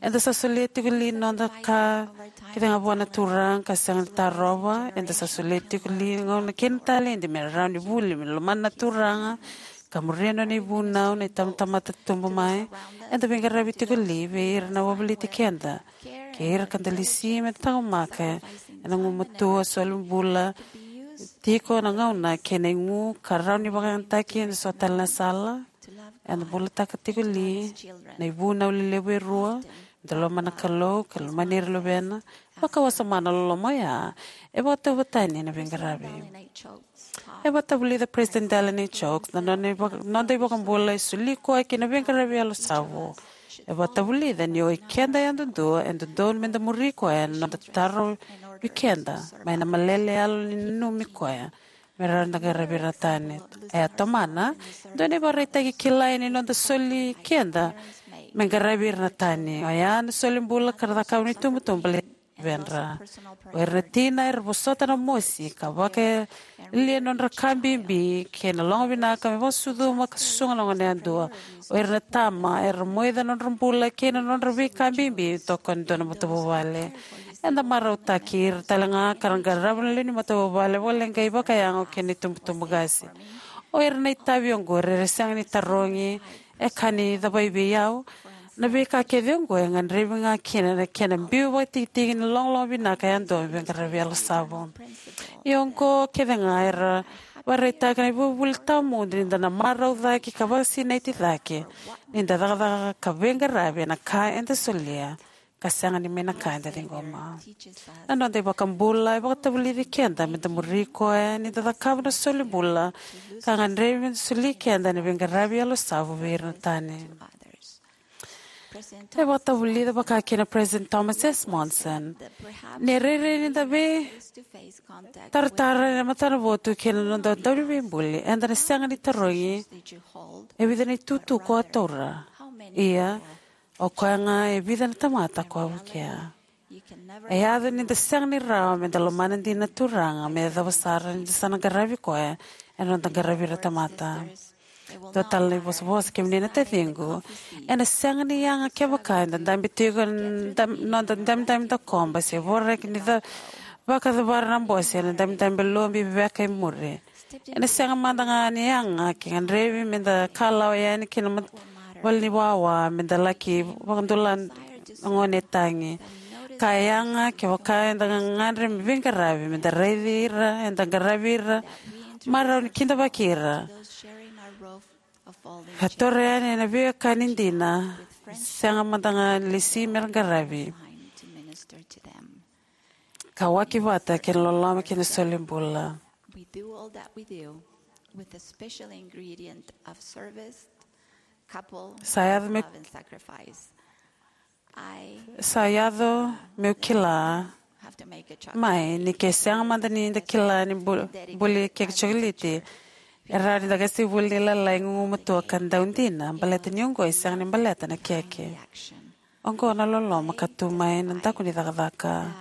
eda sa solia tiko li na noda ka kece ga vua na Turaga ka sega ni tarova? Eda sa solia tiko li na gauna kei na taledi me rawa ni vuli me lomana na Turaga ka muria na nona ivunau na itabatamata tubu mai? Eda veiqaravi tiko li vei ira na wavoliti keda kei ira ka da lesi me da taqomaka ena gumatua, soli bula tiko na gauna kei na igu ka rawa ni vakayagataki ena so tale na sala? Eda bulataka tiko li na ivunau lelevu e rua, da lomana na Kalou ka lomani ira na luvena? Vakawasoma na loloma oya e vakatauvatani ena veiqaravi. E vakatavulica President Dallin H. Oaks na nona ivaka-, noda iVakabula e soli koya ki na veiqaravi yalosavu. E vakatavulica ni o ikeda yadudua e dodonu me da muri koya ena noda tarovi keda mai na malele yalo ni nanumi koya me rawa ni da qaravi ira na tani. E a tomana e dua na ivakaraitaki kilai ni noda soli keda me qaravi ira na tani, oya na soli bula ka ra cakava na itubutubu baleti na luvedra. O ira na tina era vosota na mosi ka vakayalia na nodra ka bibi kei na logo vinaka me vakasucuma ka susuga na gone yadua. O ira na tama era moica na nodra bula kei na nodra veika bibi toka e dua na matavuvale. Eda marautaki ira tale ga ka ra qarava na lewe ni matavuvale vakaleqai, vakayago kei na itubutubu qase. O ira na itavi oqori era sega ni tarogi, "E ka ni cavai vei au?" Na veika kece oqo e gadrevi ga kina na kena biu vakatikitiki ni logologo vinaka yadua me veiqaravi yalosavu. Ia oqo kece ga era vakaraitaka na ivakavuvuli tawamudu ni da na marau cake ka vakasinaiti cake ni da cakacaka ka veiqaravi ena ka eda solia ka sega ni mai na ka eda ciqoma. Na noda iVakabula e vakatavulici keda me da muri koya ni da cakava na soli bula ka gadrevi me da soli keda ena veiqaravi yalosavu vei ira na tani. E vakatavulica vaka kina President Thomas S. Monson ni rairai ni da veitaratara ena matanavotu kei na noda Dauniveibuli, eda na sega ni tarogi, "E vica na itutu ko a taura?" Ia, o koya ga, "E vica na tamata ko a vukea?" E yaco ni da sega ni rawa me da lomana dina na Turaga me yacova sara ni da sa na qaravi koya ena noda qaravi ira na tamata. Dua tale na ivosavosa, kemuni na taciqu, ena sega ni yaga kevaka eda dabe tiko ena dam-, noda dabedabe dakoba se voraki ni ca-, vakacavara na bose ena dabedabe lobi veveka e muri. Ena sega mada ga ni yaga ke gadrevi me da kalawa yani ki na mat-, valeniwawa me da laki vakadula na gone e tagi. Ka yaga kevaka eda gagadre me veiqaravi me da raici ira eda qaravi ira, marau ni kidavaki ira, ka toro yani ena veiwekani dina, sega mada ga ni lesi me ra qaravi, ka waki vata kei na loloma kei na soli bula. We do all that we do with a special ingredient of service, couple, sa yaco me love and sacrifice. I, sa yaco meu kila have to make a chocolate mai ni ke sega mada ni da kila ni bu-, buli keki chocolate, e rawa ni da qase vuli ni lalai gugumatua ka dau dina, baleta ni oqo e sega ni baleta na keke. Oqo na loloma ka tu mai na daku ni cakacaka.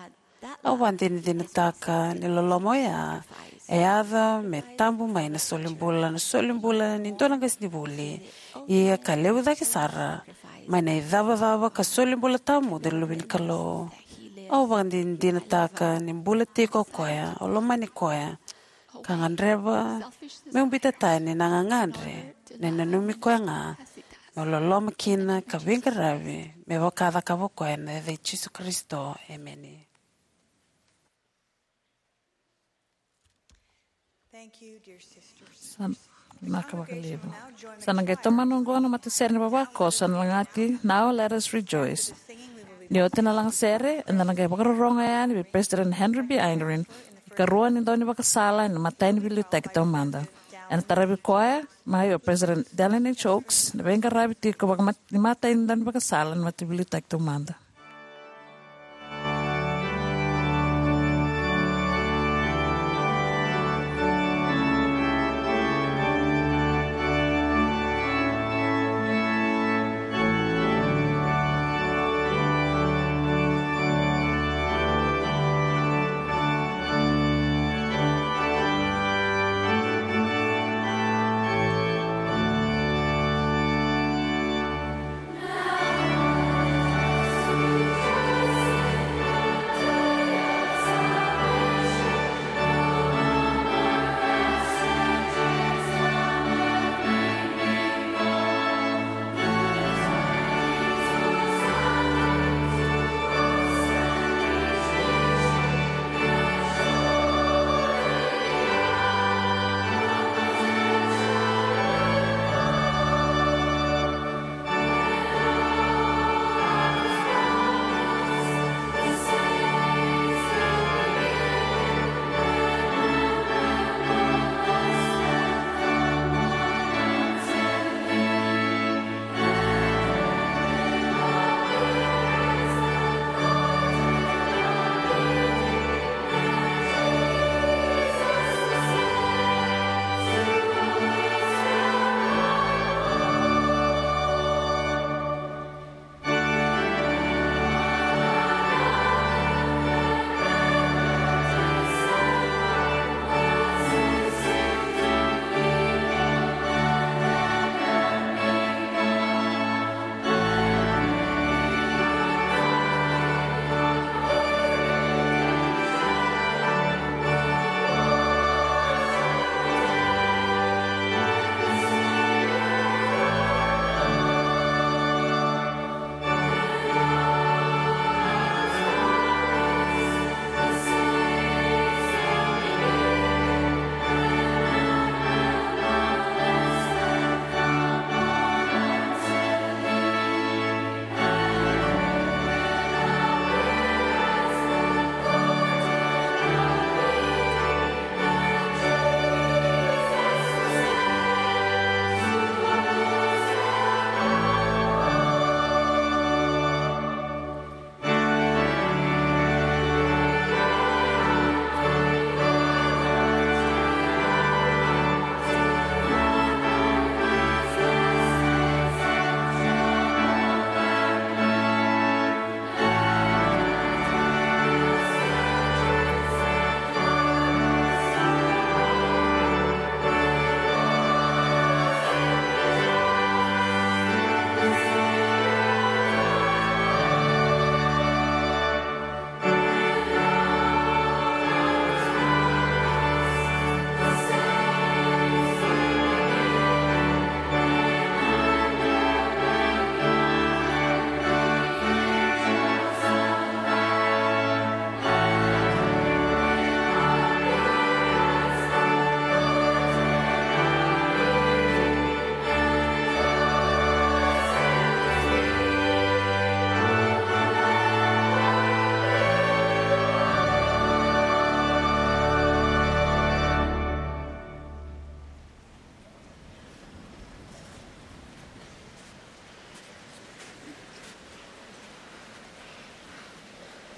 Au vakadinadinataka ni loloma oya e yaco me tabu mai na solibula, na solibula ni dua na qasenivuli. Ia ka levu cake sara, mai na icavacava ka solibula tawamudu ni Luve ni Kalou. Au vakadinadinataka ni bula tiko o koya, au lomani koya, ka gadreva meu biuta tani na gagadre, na nanumi koya ga meu loloma kina ka veiqaravi me vaka a cakava o koya, ena yaca i Jisu Karisito. Emeni. Thank you, dear sisters. Sa na ka vakalevu. Sa na qai tomana oqo na matasere ni vavakoso ena lagati Now Let Us Rejoice. Ni oti na lagasere, eda na qai vakarorogo yani vei President Henry B. Eyring, ikarua ni daunivakasala ena imatai ni veiliutaki taumada. Ena taravi koya mai o President Dallin H. Oaks, na veiqaravi tiko vakamat-, ni imatai ni daunivakasala ena imatai ni veiliutaki taumada.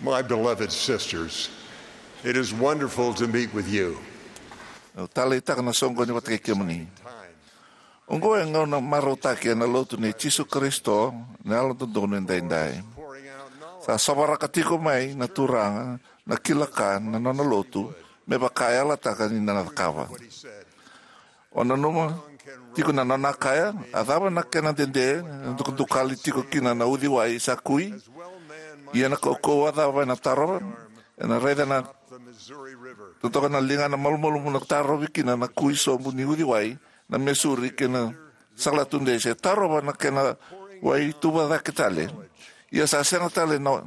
My beloved sisters, it is wonderful to meet with you. Au taleitaka na soqoni vata kei kemuni. Oqo e gauna marautaki ena lotu nei Jisu Karisito na Yalododonu Edaidai. Sa sovaraka tiko mai na Turaga na kila ka na nona lotu, me vaka e yalataka ni na cakava. O nanuma tiko na nona kaya, a cava na kena dede na dukadukali tiko kina na uciwai sa kui? Ia na kaukauwa cava ena tarova? Ena raica na totoka na liga na malumalumu na tarovi kina na kui sobu ni uciwai na Missouri kei na Salatu Dei, se tarova na kena wai tuva cake tale. Ia sa sega tale na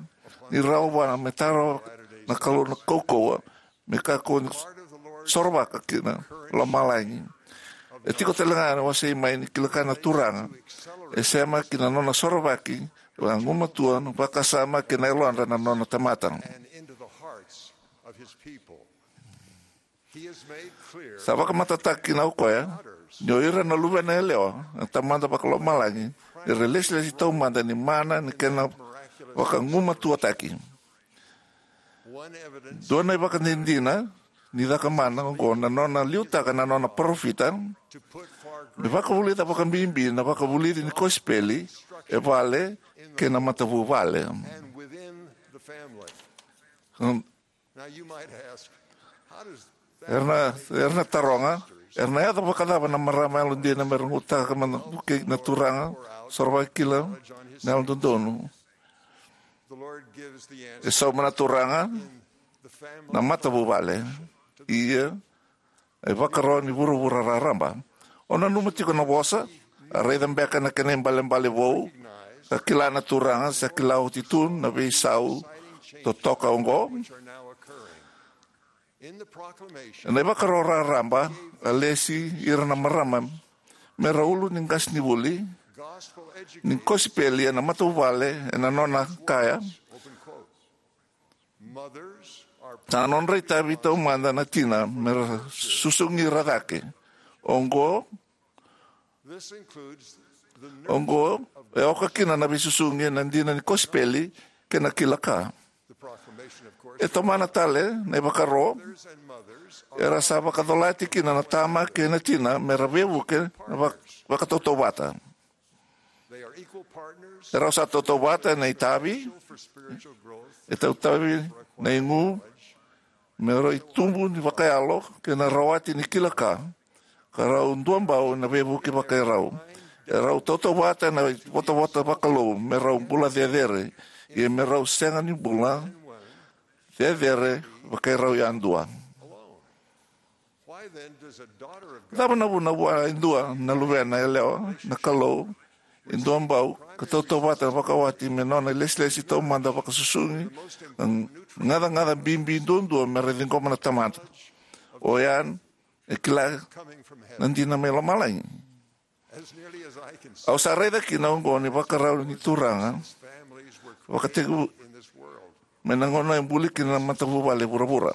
ni rawa vua me tarova na Kalou na kaukauwa me kakua ni sorovaka ki na lomalagi. E tiko tale ga na wasei mai ni kila ka na Turaga e sema ki na nona sorovaki vakagumatua na vakasama kei na yalodra na nona tamata. Sa vakamatatataki kina o koya ni o ira na luvena yalewa na Tamada Vakalomalagi era lesilesi taumada ni mana ni kena vakagumatuataki. Dua na ivakadinadina ni caka mana oqo na nona liutaka na nona parofita me vakavulica vakabibi na vakavulici ni kosipeli e vale kei na matavuvale. Era na, era na taroga, era na yaco vakacava na marama yalodina me ra gutaka mana vukei na Turaga, sorovaki kila na yalododonu? E sauma na Turaga na matavuvale, ia e vakaro ni vuravura raraba. O nanuma tiko na vosa, a raica beka na kena ibalebale vou, ka kila na Turaga sa kila oti tu na veisau totoka oqo. Ena ivakaro raraba, a lesi ira na marama me ra ulu ni qasenivuli ni kosipeli ena matavuvale ena nona kaya, sa nodra itavi taumada na tina me ra susugi ira cake. Oqo, oqo e oka kina na veisusugi ena dina ni kosipeli kei na kila ka. E tomana tale na ivakaro era sa vakacolati kina na tama kei na tina me ra veivuke na vak-, vakatautauvata. Erau sa tautauvata ena itavi, e tautavi na igu me rau itubu ni vakayalo kei na rawati ni kila ka, ka rau duabau ena veivuke vakairau. Erau tautauvata ena votavota vakalou me rau bula cecere, ia me rau sega ni bula cecere vakairau yadua. Cava na vuna vua e dua na luvena yalewa na Kalou e duabau ka tautauvata vakawati me nona ilesilesi taumada vakasusugi na gacagaca bibi duadua me ra ciqoma na tamata? Oya e kila na dina mai lomalagi. Au sa raica kina oqo ni vakarau ni Turaga vakatekivu mai na gauna e buli kina na matavuvale vuravura.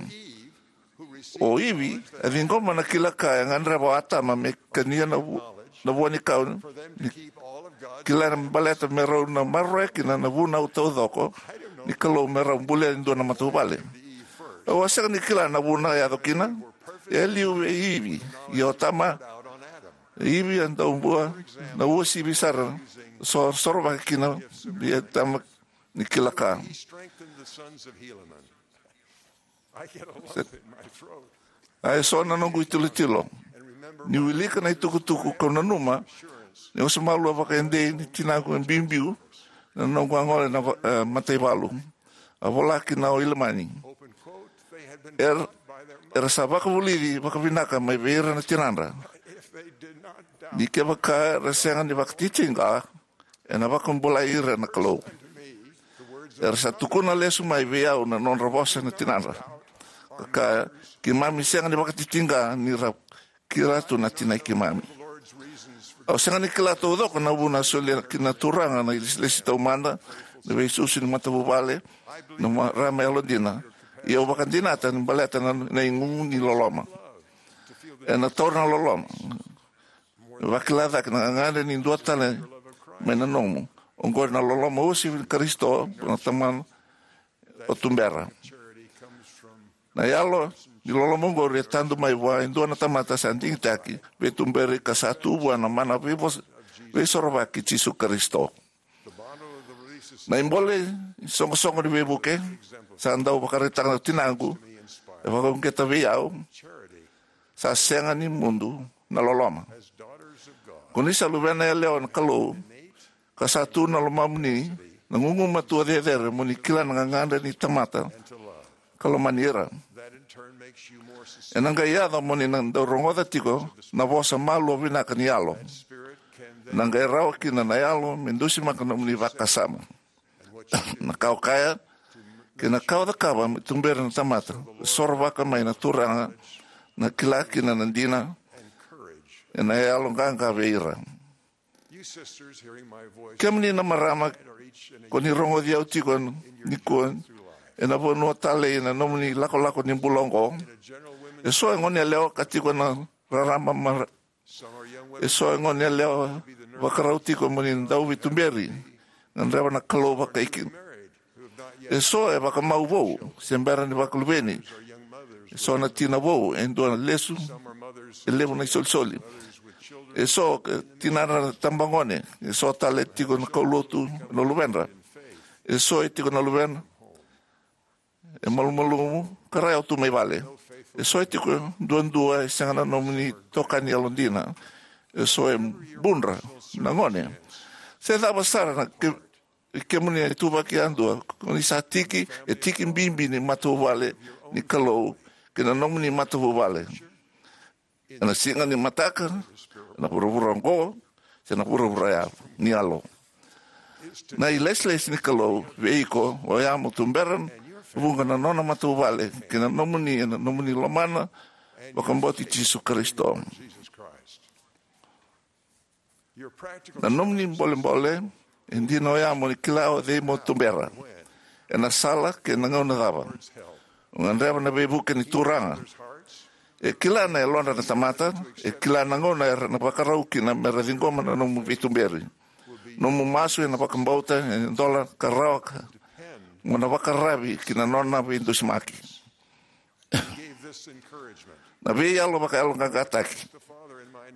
O Ivi a ciqoma na kila ka e gadreva o Atama me kania na vu-, na vua ni kau ni kila na baleta me rau na maroroya kina na vunau taucoko ni Kalou me rau bulia e dua na matavuvale. Au a sega ni kila na vuna e yaco kina. E liu vei Ivi, ia o Atama, Ivi a dau bua na uasivi sara, so-, sorovaki kina vei Atama ni kila ka. A e so na noqu itilotilo ni wilika na itukutuku kau nanuma ni osa malua vakaedei ni tinaqu e biubiu na noqu a gole na va-, e, mataivalu. A vola kina o Ilamani. Er-, era sa vakavulici vakavinaka mai vei ira na tinadra. Ni kevaka era sega ni vakatitiqa, ena vakabulai ira na Kalou. Era sa tukuna lesu mai vei au na nodra vosa na tinadra, ka kaya, keimami sega ni vakatitiqa ni ra kila tu na tinai keimami. Au sega ni kila taucoko na vuna a solia kina na Turaga na ilesilesi taumada, na veisusu ni matavuvale, na marama yalodina. Ia au vakadinata ni baleta na, na igu ni loloma. Ena taura na loloma. Vakila cake na gagadre ni dua tale mai na nomu. Oqori na loloma uasivi ni Karisito, na Tamana o tubera. Na yalo ni loloma oqori e tadu mai vua e dua na tamata sa digitaki, veituberi ka sa tu vua na mana veivo-, veisorovaki Jisu Karisito. Na ibole isoqosoqo ni veivuke sa dau vakaraitaka na tinaqu e vakauqeta vei au, sa sega ni mudu na loloma. Ko ni sa luvena yalewa na Kalou, ka sa tu na lomamuni na gugumatua cecere mo ni kila na gagadre ni tamata ka lomani ira. Ena qai yaco mo ni na dau rogoca tiko na vosa malua vinaka ni Yalo. Ena qai rawa kina na Yalo me dusimaka nomuni vakasama. Na ka o kaya kei na ka o cakava me tuberi na tamata, e sorovaka mai na Turaga na kila kina na dina ena yalo qaqa vei ira. Kemuni na marama, ko ni rogoci au tiko nikua, ena vanua talei ena nomuni lakolako ni bula oqo. E so e gone yalewa ka tiko na rarama mara. E so e gone yalewa vakarau tiko mo ni dau veituberi, gadreva na Kalou vakaikina. E so e vakamau vou se bera ni vakaluveni. E so na tina vou e dua na lesu, e levu na isolisoli. E so e tinadra na tabagone. E so tale e tiko na kaulotu na luvedra. E so e tiko na luvedra e malumalumu ka raica tu mai vale. E so e tiko duadua e sega na nomuni tokani yalodina. E so e budra na gone. Se cava sara na ke, kemuni e tuvaki yadua, ko ni sa tiki, e tiki bibi ni matavuvale ni Kalou kei na nomuni matavuvale. Ena siga ni mataka, ena vuravura oqo, se na vuravura ya ni yalo. Na ilesilesi ni Kalou vei iko oya mo tubera vuqa na nona matavuvale kei na nomuni ena nomuni lomana vakabauti Jisu Karisito. Na nomuni bolebole e dina oya mo ni kila o cei mo tubera, ena sala kei na gauna cava. O gadreva na veivuke ni Turaga. E kila na yalodra na tamata, e kila na gauna era na vakarau kina mera ciqoma na nomu veituberi. Nomu masu ena vakabauta e dola ka rawa ka mo na vakararavi ki na nona veidusimaki. Na veiyalo vakayaloqaqataki.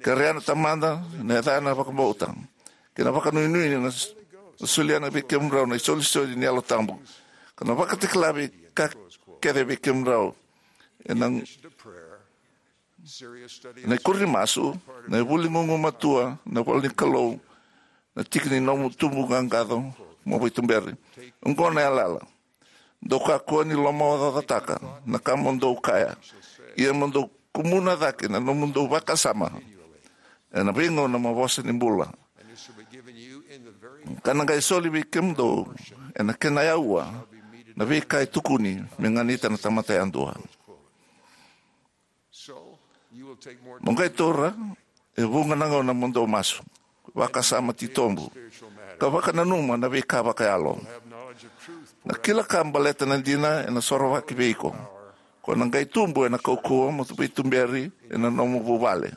Kerea na Tamada na yacana vakabauta kei na vakanuinui na s-, na solia na vei kemudrau na isolisoli ni Yalo Tabu, ka na vakatakila vei ka kece vei kemudrau. Ena, na ikuri ni masu, na ivuli gugumatua, na ivola ni Kalou, na tiki ni nomu tubu qaqaco mo veituberi. Oqo na yalayala. Dou kakua ni lomaocaocataka na ka mo dou kaya, ia mo dou kumuna cake na nomudou vakasama ena veigauna mo vosa ni bula. Ka na qai soli vei kemudou ena kena yaua na veika e tukuni me ganita na tamata yadua. Mo qai taura e vuqa na gauna mo dou masu, vakasama titobu, ka vakananuma na veika vakayalo. Na kila ka baleta na dina ena sorovaki vei iko. Ko na qai tubu ena kaukauwa mo veituberi ena nomu vuvale.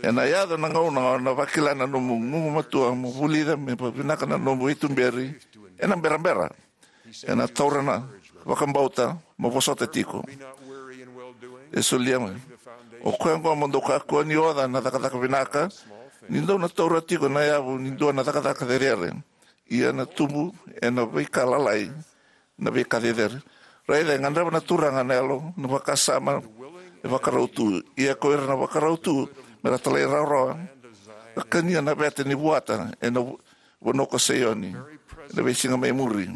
Ena yaco na gauna o na vakila na nomu gugumatua mo vulica me vavinaka na nomu veituberi ena berabera. Ena taura na vakabauta mo vosota tiko. E solia mai, o koya oqo mo dou kakua ni oca na cakacaka vinaka, ni dou na taura tiko na yavu ni dua na cakacaka cecere. Ia na tubu ena veika lalai na veika cecere. Raica e gadreva na Turaga na yalo na vakasama e vakarau tu. Ia ko ira na vakarau tu mera talairawarawa, ka kania na veta ni vuata ena vu-, vanua ko Saioni ena veisiga mai muri.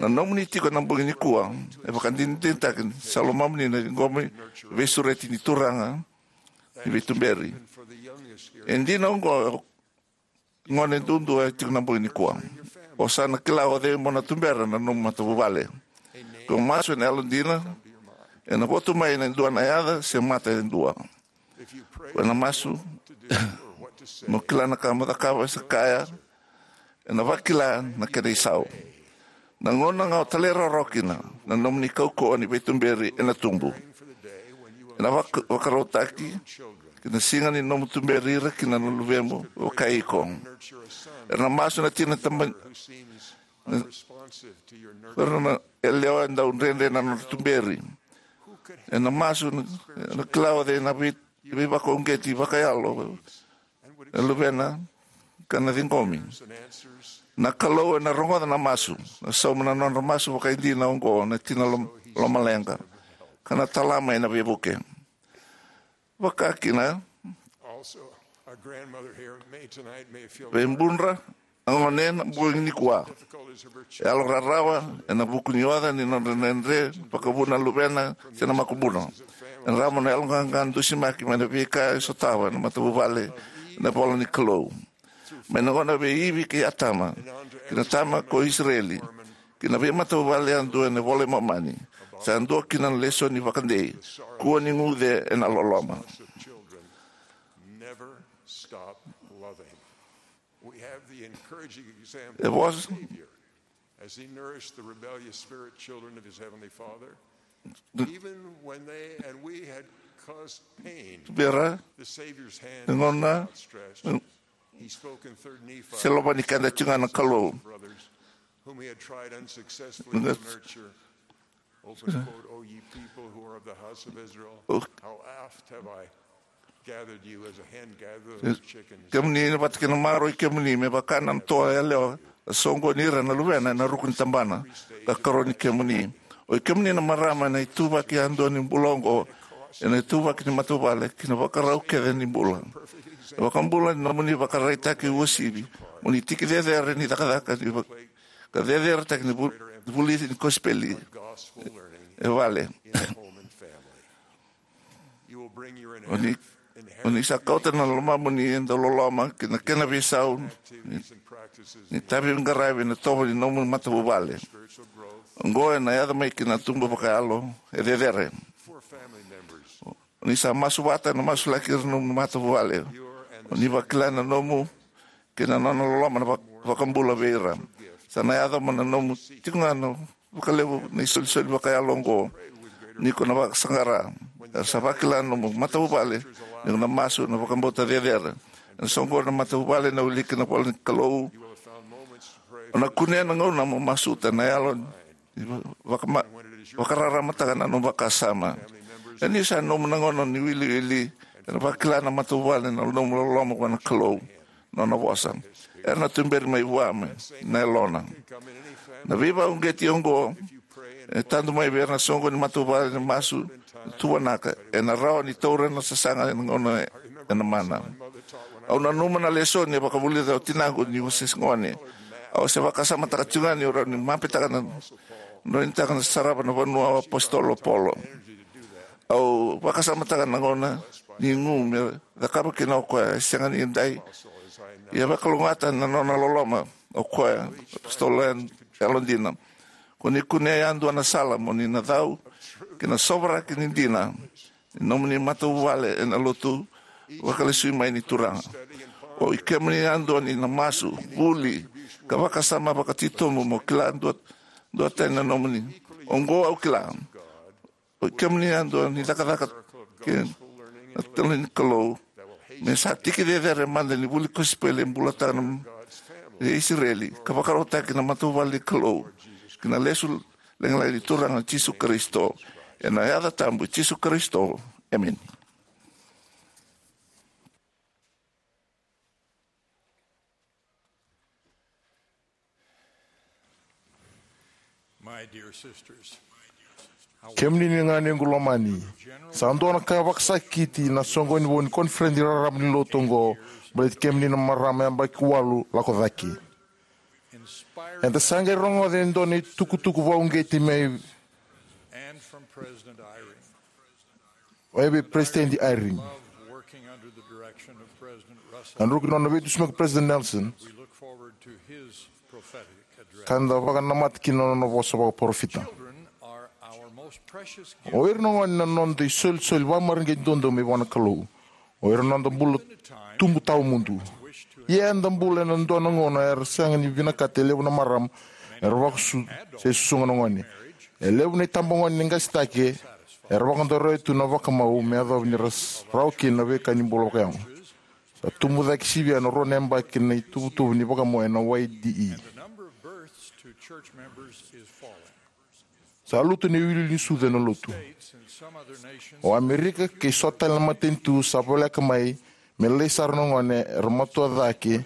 Na nomuni tiko ena bogi nikua e vakadinadinataki ni sa lomamuni na ciqomi veisureti ni Turaga ni veituberi. E dina oqo, gone duadua e tiko ena bogi nikua. O sa na kila o cei mo na tubera na nomu matavuvale. Ko masu ena yalodina, ena votu mai ena dua na yaca se mata e dua. Ko na masu mo kila na ka mo cakava se kaya, ena vakila na kena isau. Na gauna ga o talairawarawa kina, na nomuni kaukauwa ni veituberi ena tubu. Ena vak-, vakarautaki ki na siga ni nomu tuberi ira kina na luvemu, o kai iko. Era na masu na tina tama-, na, era na yalewa e dau dredre na nona tuberi. Ena masu na, na kila o cei na vei, veivakauqeti vakayalo e luvena, ka na ciqomi. Na Kalou ena rogoca na masu, na sauma na nodra masu vakaidina oqo na tina lom-, lomaleqa, ka na tala mai na veivuke. Vakakina, also, our grandmother here may tonight may feel veibudra a gone ena bogi nikua. Difficulties of her children. E yalo rarawa ena vuku ni oca ni nodra dredre vakavuna na luvena se na makubuna. E rawa na yaloqaqa dusimaki mai na veika e sotava na matavuvale ena ivola ni Kalou. Mai na gauna vei Ivi kei Atama, ki na tama ko Isireli, ki na veimatavuvale yadua ena iVola i Momani, sa dua kina na lesoni vakadei, kua ni guce ena loloma. Never stop loving. We have the encouraging example E of the vosa Savior as he nourished the rebellious spirit children of his heavenly Father. Even when they and we had caused pain, Vera, the Savior's hand was Ngona, outstretched. He spoke in third Nephi se lova ni keda tiko ga na Kalou. Brothers whom he had tried unsuccessfully to nurture. Open quote, "O ye people who are of the house of Israel, how oft have I gathered you as a hen gathers her chickens?" Kemuni na vata kei na maroi kemuni me vaka na toa yalewa, a soqoni ira na luvena ena ruku ni tabana, ka karoni kemuni. O i kemuni na marama ena ituvaki yadua ni bula oqo, ena ituvaki ni matavuvale, ki na vakarau kece ni bula. E vakabula ni nomuni vakaraitaki uasivi, mo ni tiki cecere ni cakacaka, ni va-, ka ceceretaki ni vu-, vulici ni kosipeli. E vale. O ni, o ni sa kauta na lomamuni e dau loloma ki na kena veisau ni, ni tavi qaravi na tovo ni nomu matavuvale. Oqo ena yaco mai ki na tubu vakayalo e cecere. O ni sa masu vata na masulaki ira nomu matavuvale. O ni vakila na nomu kei na nona loloma na vak-, vakabula vei ira. Sa na yaco mai na nomu tiko ga na vakalevu na isolisoli vakayalo oqo. Ni ko na vakasaqara, era sa vakila nomu matavuvale, ni ko na masu na vakabauta cecere. Ena soqo na matavuvale na wiliki na vola ni Kalou. O na kunea na gauna mo masuta na yalo ni va-, vakama-, vakararamataka na nomu vakasama. Ena ni sa nomu na gauna ni wiliwili, ena vakila na matavuvale na nomu loloma vua na Kalou. Nona vosa. Era na tuberi mai vua mai na yalona. Na veivauqeti oqo e tadu mai vei ira na soqo ni matavuvale ni masu, tuvanaka, ena rawa ni taura na sasaga ena gauna ena mana. Au nanuma na lesoni e vakavulica o tinaqu niu se gone. Au se vakasamataka tiko ga niu rawa ni mapetaka na noinitaka na sarava na vanua o apositolo Paula. Au vakasamataka na gauna ni gu me cakava kina o koya, e sega ni dai. Ia vakalougatataka na nona loloma o koya, apositolo yalodina. Ko ni kunea yadua na sala mo ni na cau ki na sovaraki ni dina ni nomuni matavuvale ena lotu vakalesui mai ni Turaga. O i kemuni yadua ni na masu, vuli, ka vakasama vakatitobu mo kila dua, duatani na nomuni. Oqo au kila. O i kemuni yadua ni cakacaka kei na talo ni Kalou, me sa tiki cecere mada ni vuli kosipeli e bulataka na Isireli, ka vakarautaki na matavuvale ni Kalou ki na lesu lagilagi ni Turaga Jisu Karisito. Ena yaca tabu i Jisu Karisito. Emeni. My dear sisters, kemuni na ganequ lomani, sa dua na ka vakasakiti na soqoni vou ni koniferedi raraba ni lotu oqo, baleti kemuni na marama yabaki walu lako cake. Eda sa qai rogoca e dua na itukutuku vakauqeti mai and from President Eyring. Oya vei President Eyring. Love working under the direction of President Russell. Ka druki nona veidusimaki President Nelson. We look forward to his prophetic address. Ka da vakanamata kina nona vosa vakaparofita. Children are our most precious gift. O ira na gone na noda isolisoli vakamareqeti duadua mai vua na Kalou. O ira na noda bula tubu tawamudu. Ia eda bula ena dua na gauna era sega ni vinakata e levu na marama era vakasusu se susuga na gone. E levu na itabagone ni qase cake era vakadroya tu na vakamau me yacova ni ra s-, rawa kina na veika ni bula vakayago. Sa tubu cake sivia na rua na yabaki na ituvatuva ni vakamau ena Y D E. Sa lutu na iwiliwili ni sucu ena lotu. O Amerika kei so tale na matanitu sa voleka mai me lailai sara na gone era matua cake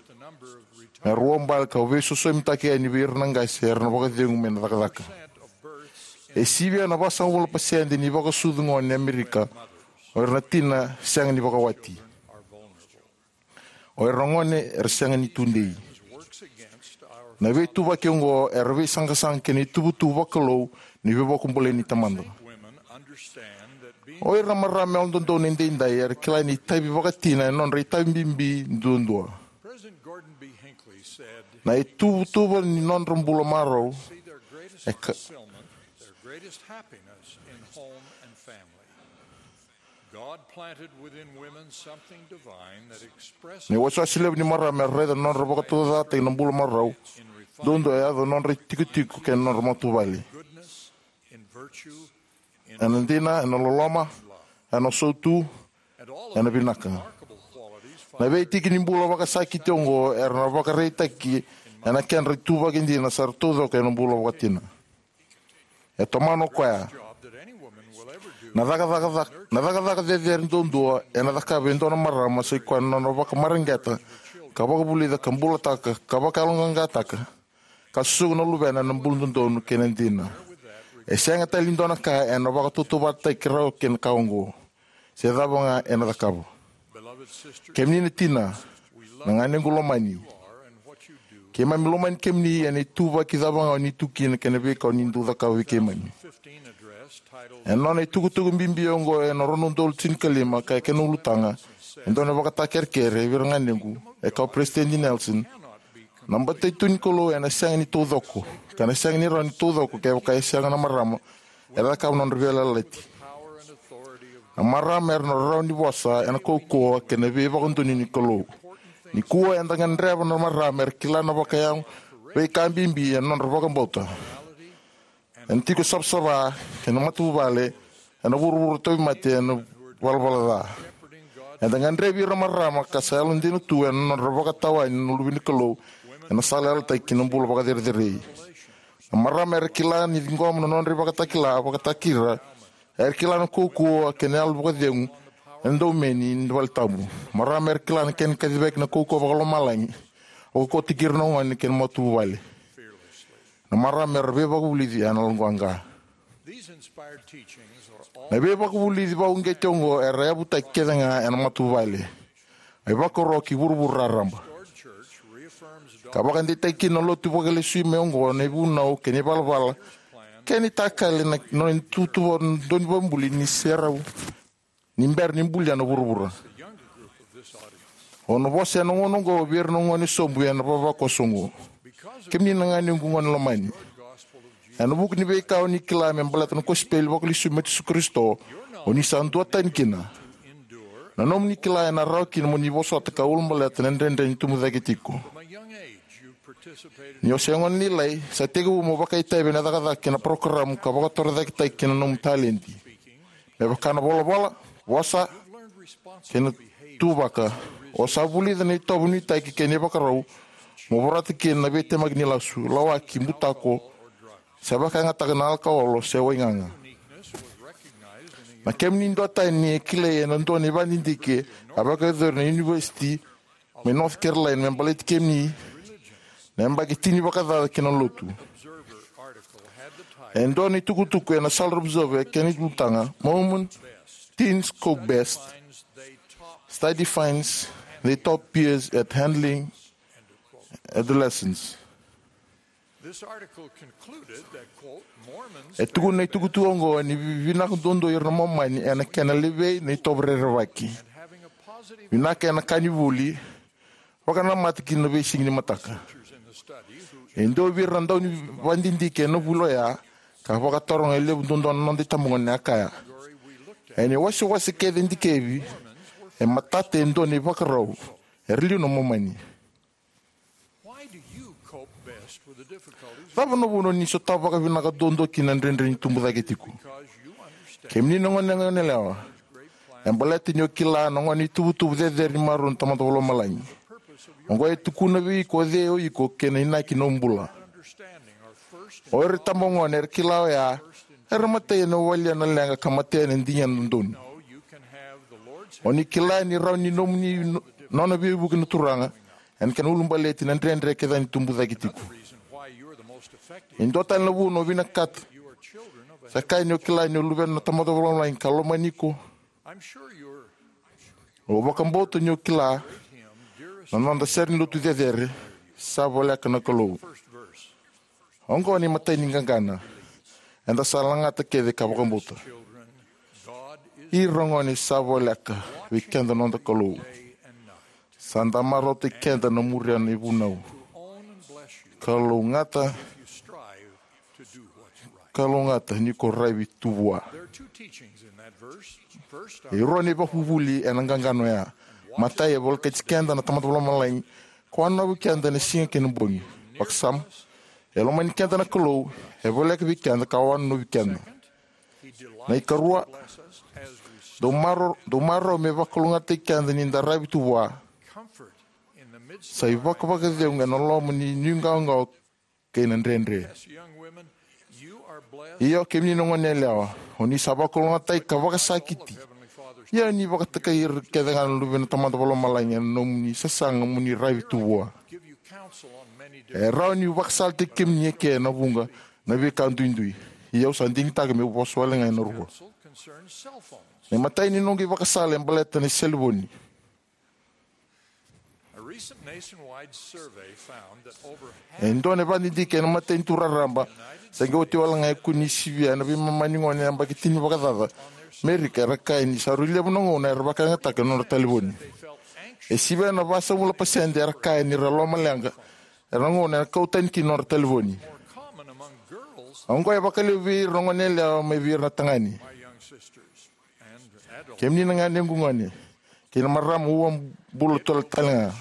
Me ra uabale ka veisosomitaki yani vei ira na qase era na vakacegu mai na cakacaka. E sivia na vasagavulu na pasede ni vakasucu gone e Amerika o ira na tina sega ni vakawati. O ira na gone era sega ni tudei. Na veituvaki oqo era veisaqasaqa kei na ituvatuva vakalou ni veivakabulai ni Tamada. O ira na marama yalododonu edaidai era kila ni itavi vakatina e nodra itavi bibi duadua. Na ituvatuva ni nodra bula marau e ka- Na iwasewase levu ni marama era raica na nodra vakataucokotaki na bula marau duadua e yaco na nodra itikotiko kei na nodra matavuvale. Ena dina, ena loloma, ena sautu, ena vinaka. Na veitiki ni bula vakasakiti oqo era na vakaraitaki ena kedra ituvaki dina sa ra taucoko ena bula vakatina. E tomana o koya. Na cakacaka, na cakacaka cecere duadua ena cakava e dua na marama sa ikoya na nona vakamareqeta ka vakavulica ka bulataka ka vakayaloqaqataka ka susuga na luvena ena bula dodonu kei na dina. E sega tale ni dua na ka ena vakatautauvatataki rawa kei na ka oqo, se cava ga ena cakava. Kemuni na tina, na ganequ lomani, keimami lomani kemuni ena ituvaki cava ga o ni tu kina kei na veika o ni dau cakava vei keimami. Ena nona itukutuku bibi oqo ena rua na udolu tinikalima ka e kena ulutaga, e dua na ivakatakerekere vei ira na ganequ, e kaya o Peresitedi Nelson: Na batai tu ni Kalou ena sega ni taucoko, ka na sega ni rawa ni taucoko kevaka e sega na marama era cakava na nodra veiyalayalati. Na marama era na rawa ni vosa ena kaukauwa kei na veivakadonui ni Kalou. Nikua eda gadreva na marama era kila na vakayago veika bibi ena nodra vakabauta, ena tiko savasava kei na matavuvale, ena vuravura tauvimate, ena valavala ca. Eda gadrevi ira na marama ka sa yalodina tu ena nodra vakatawani na luve ni Kalou ena sala yalataki ki na bula vakacerecerei. Na marama era kila ni ciqoma na nodra ivakatakila vakataki ira, era kila na kaukauwa kei na yalo vakacegu ena daumeni ni valetabu. Marama era kila na kena kacivaki na kaukauwa vakalomalagi, vakaukauwataki ira na gone kei na matavuvale. Na marama era veivakavulici ena loqaqa. Na veivakavulici vakauqeti oqo era yavutaki kece ga ena matavuvale, a ivakaro ki vuravura raraba, ka vakadeitaka kina na lotu vakalesui mai oqo na ivunau kei na ivalavala kei na itakali na nona ituvatuva donivabuli ni serau ni bera ni bulia na vuravura. Au na vosa ena gauna oqo vei ira na gone sobu ena ivavakoso oqo. Kemuni na ganequ gone lomani, ena vuku ni veika o ni kila me baleta na kosipeli vakalesui mai Jisu Karisito, o ni sa duatani kina. Na nomuni kila ena rawa kina mo ni vosota ka ulabaleta na dredre ni tubu cake tiko. Ni o se gone lailai, sa tekivu mo vakaitavi ena cakacaka kei na parokaramu ka vakatorocaketaki kina na nomu taledi, me vaka na volavola, vosa, kei na tuvaka. O sa vulica na itovo nuitaki kei na ivakarau mo vorata kina na veitemaki ni lasu, lawaki, butako, se vakayagataka na alakaolo se waigaga. Na kemuni duatani e kilai ena dua na ivakadidike a vakayacori na Univesiti mai North Carolina me baleti kemuni na yabaki tini vakacaca kei na lotu. E dua na itukutuku ena Salt Observer e kena ulutaga: Mormon teens cope best. Study finds they top peers at handling adolescence. E tukuna na itukutuku oqo ni vinaka duadua o ira na Momani ena kena levei na itovo rerevaki, vinaka ena ka ni vuli, vakanamata kina na veisiga ni mataka. E dua vei ira na daunivakadidike ena vuli oya ka vakataroga e levu duadua na noda itabagone a kaya: Ena iwasewase kece e dikevi, e matata e dua na ivakarau, era liu na Momani. Cava na vuna o ni sotava vakavinaka duadua kina na dredre ni tubu cake tiko? Kemuni na gone yalewa, e baleta ni o kila na gone ituvatuva cecere ni marau na Tamada Vakalomalagi. Oqo e tukuna vei iko o cei o iko kei na inaki ni nomu bula. O ira itabagone era kila oya era matai ena walia na leqa ka matea ena digidigi dodonu. O ni kila ni rawa ni nomuni no-, nona veivuke na Turaga, ena kena ulubaleti na dredre kece ni tubu cake tiko. E dua tale na vuna o vinakata, sa kaya ni o kila ni o luvena na Tamada Vakalomalagi ka lomani iko. Au vakabauta ni o kila na noda sere ni lotu cecere, sa voleka na Kalou. Oqo na imatai ni qaqana eda sa lagata kece ka vakabauta. Ira gone, sa voleka vei keda noda Kalou. Sa da marautaki keda na muria na ivunau. Kalougata, kalougata ni ko raivi tu vua. E rua na ivakavuvuli ena qaqana oya. Matai, e volekati keda na Tamada Vakalomalagi, ka wanonovi keda ena siga kei na bogi. Vakasama, e lomani keda na Kalou, e voleka vei keda ka wanonovi keda. Na ikarua, dau marau, dau marau me vakalougatataki keda ni da raivi tu vua. Sa ivakavakacegu ena loma ni nuiqawaqawa kei na dredre. Io, kemuni na gone yalewa, o ni sa vakalougatataki ka vakasakiti. Ia ni vakatokai ira kece ga na luve na Tamada Vakalomalagi ena nomuni sasaga mo ni raivi tu vua. E rawa ni vakasalataki kemuni eke ena vuqa na veika duidui. Ia au sa digitaka meu vosa wale ga ena rua. Na imatai ni noqu ivakasala e baleta na selevoni. E dua na vakadidike ena matanitu raraba, sa qai oti wale ga e kune ni sivia na veimama ni gone yabaki tini vakacaca Merika era kaya ni sa rui levu na gauna era vakayagataka na nodra talevoni. E sivia na vasagavulu na pasede era kaya ni ra lomaleqa era na gauna era kau tani kina na nodra talevoni. Oqo e vakalevu vei ira na gone yalewa mai vei ira na tagane. Kemuni na ganequ gone kei na marama, ua bula tale ga.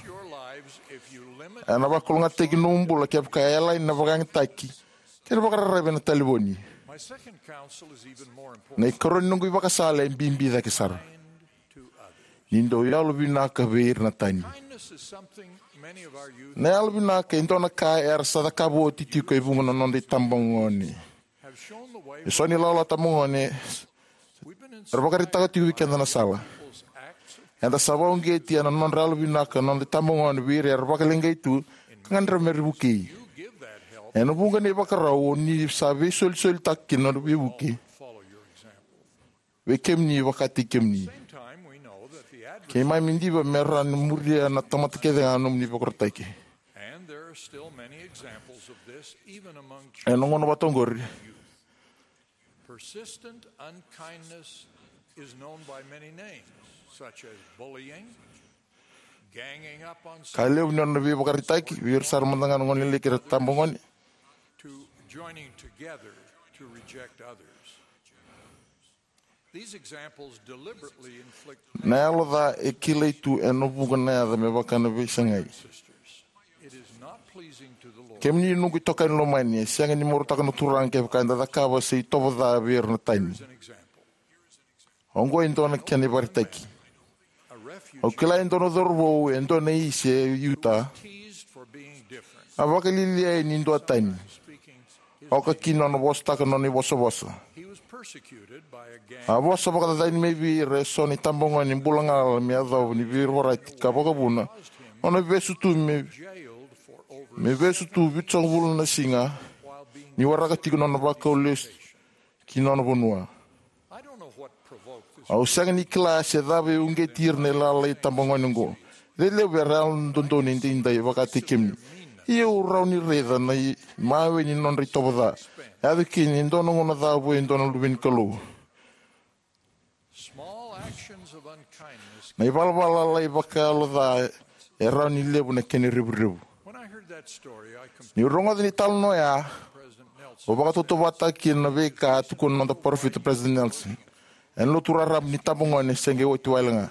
Ena vakalougatataki nomu bula kevaka e yalani na vakayagataki kei na vakararavi ena talevoni. Na ikarua ni noqu ivakasala e bibi cake sara. Ni dau yalovinaka vei ira na tani. Na yalovinaka e dua na ka era sa cakava oti tiko e vuqa na noda itabagone. E so na ilawalawa tabagone era vakaraitaka tiko vei keda na sala. Eda sa vakauqeti ena nodra yalovinaka na noda itabagone vei ira era vakaleqai tu ka gadreva me ra vukei. Ena vuqa na ivakarau o ni sa veisolisolitaka kina na veivuke vei kemuni vakataki kemuni. Keimami diva me ra na muria na tamata kece ga na nomuni vakarokorokotaki. Ena gauna vata oqori, persistent unkindness is known by many names, such as bullying, ganging up on, ka levu ni nona veivakaraitaki vei ira sara mada ga na gone leleki era tabagone, to joining together to reject others. These examples deliberately inflict. Na yalo ca e kilai tu ena vuqa na yaca me vaka na veisagai. It is not pleasing to the Lord. Kemuni noqu itokani lomani, e sega ni marautaka na Turaga kevaka eda cakava se itovo ca vei ira na tani. Here's an example. Oqo e dua na kena ivakaraitaki. Au kila e dua na cauravou e dua na isi e Utah. A vakalialiai ni dua tani. Oka kina nona vosataka nona ivosavosa. A vosa vakacacani mai vei ira eso na itabagone bula galala me yacova ni veivorati ka vakavuna nona vesu tu me, me vesu tu vitusagavulu na siga ni waraka tiko nona vakau lesu ki nona vanua. Au sega ni kila se cava e uqeti ira na ilalai tabagone oqo. Rairai levu era yalododonu edaidai vakataki kemuni. Ia au rawa ni raica na imawe ni nodra itovo ca. E yaco kina e dua na gauna ca vua e dua na luve ni Kalou. Na ivalavala lalai vakayalo ca e rawa ni levu na kena revurevu. Niu rogoca na italanoa oya, au vakatautauvatataka kina na veika a tukuna na noda parofita President Nelson. Ena lotu raraba ni tabagone se qai oti wale ga.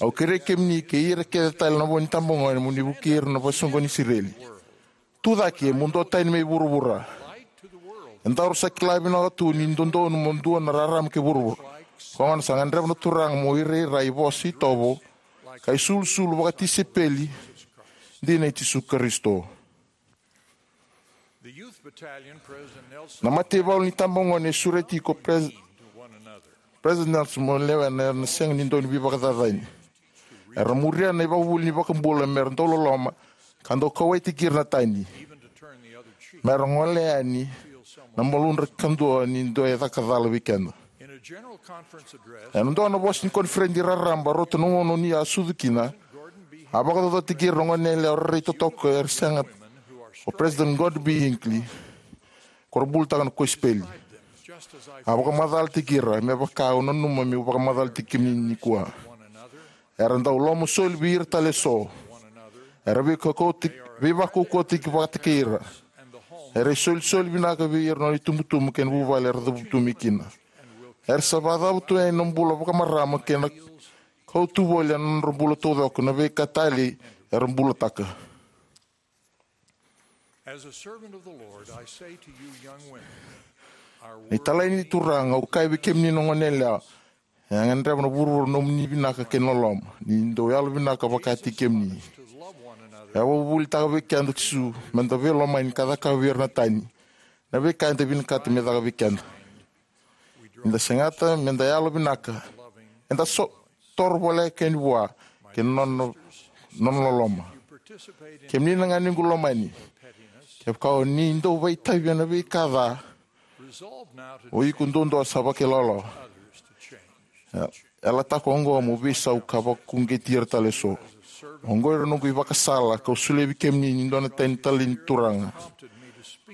Au kerei kemuni kei ira kece tale na vo ni tabagone mo ni vukei ira na vakasoqoni Isireli. Tu cake mo dua tani mai vuravura. E daru sa kila vinaka tu ni dodonu mo dua na rarama kei vuravura. Koya gona sa gadreva na Turaga mo irairai, vosa, itovo ka isulusulu vakatisaipeli dina i Jisu Karisito. Na mataivalu ni tabagone e sureti iko Pres-, President Nelson mo lewena ena sega ni dau ni veivakacacani. Era muria na ivakavuvuli ni iVakabula mera dau loloma ka dau kauwaitaki ira na tani, mera gole yani na maludra kadua ni dua e caka cala vei keda. Ena dua na vosa ni koniferedi raraba rauta na gauna ni a sucu kina, a vakacaucautaki ira na goneyalewa rairai totoka era sega o President Gordon B. Hinckley, ko ra bulataka na kosipeli. A vakamacalataki ira me vaka au nanuma meu vakamacalataki kemuni nikua. Era dau loloma soli vei ira tale eso. Era veikaukautaki, veivakaukauataki vata kei ira. Era isolisoli vinaka vei ira na nona itubutubu kei na vuvale era cavutu mai kina. Era sa vakacava tu yani na bula vakamarama kei na kautu voli ena nodra bula taucoko na veika talei era bulataka. As a servant of the Lord, I say to you, young women, our Ni talai ni Turaga, au kaya vei kemuni na goneyalewa, e gadreva na vuravura na nomuni vinaka kei na loloma, ni dau yalovinaka vakataki kemuni. E vakavuvulitaka vei keda o Jisu meda veilomani ka cakava vei ira na tani na veika eda vinakata me caka vei keda. Ni da segata meda yalovinaka, eda so toro voleka yani vua kei na nona, nona loloma. Kemuni na ganequ lomani, kevaka o ni dau vakaitavi ena veika ca, o iko duadua sa vakailawalawa. E, yalataka oqo mo veisau ka vakauqeti ira tale eso. Oqo ira noqu ivakasala kau solia vei kemuni ni dua na tani talei ni Turaga.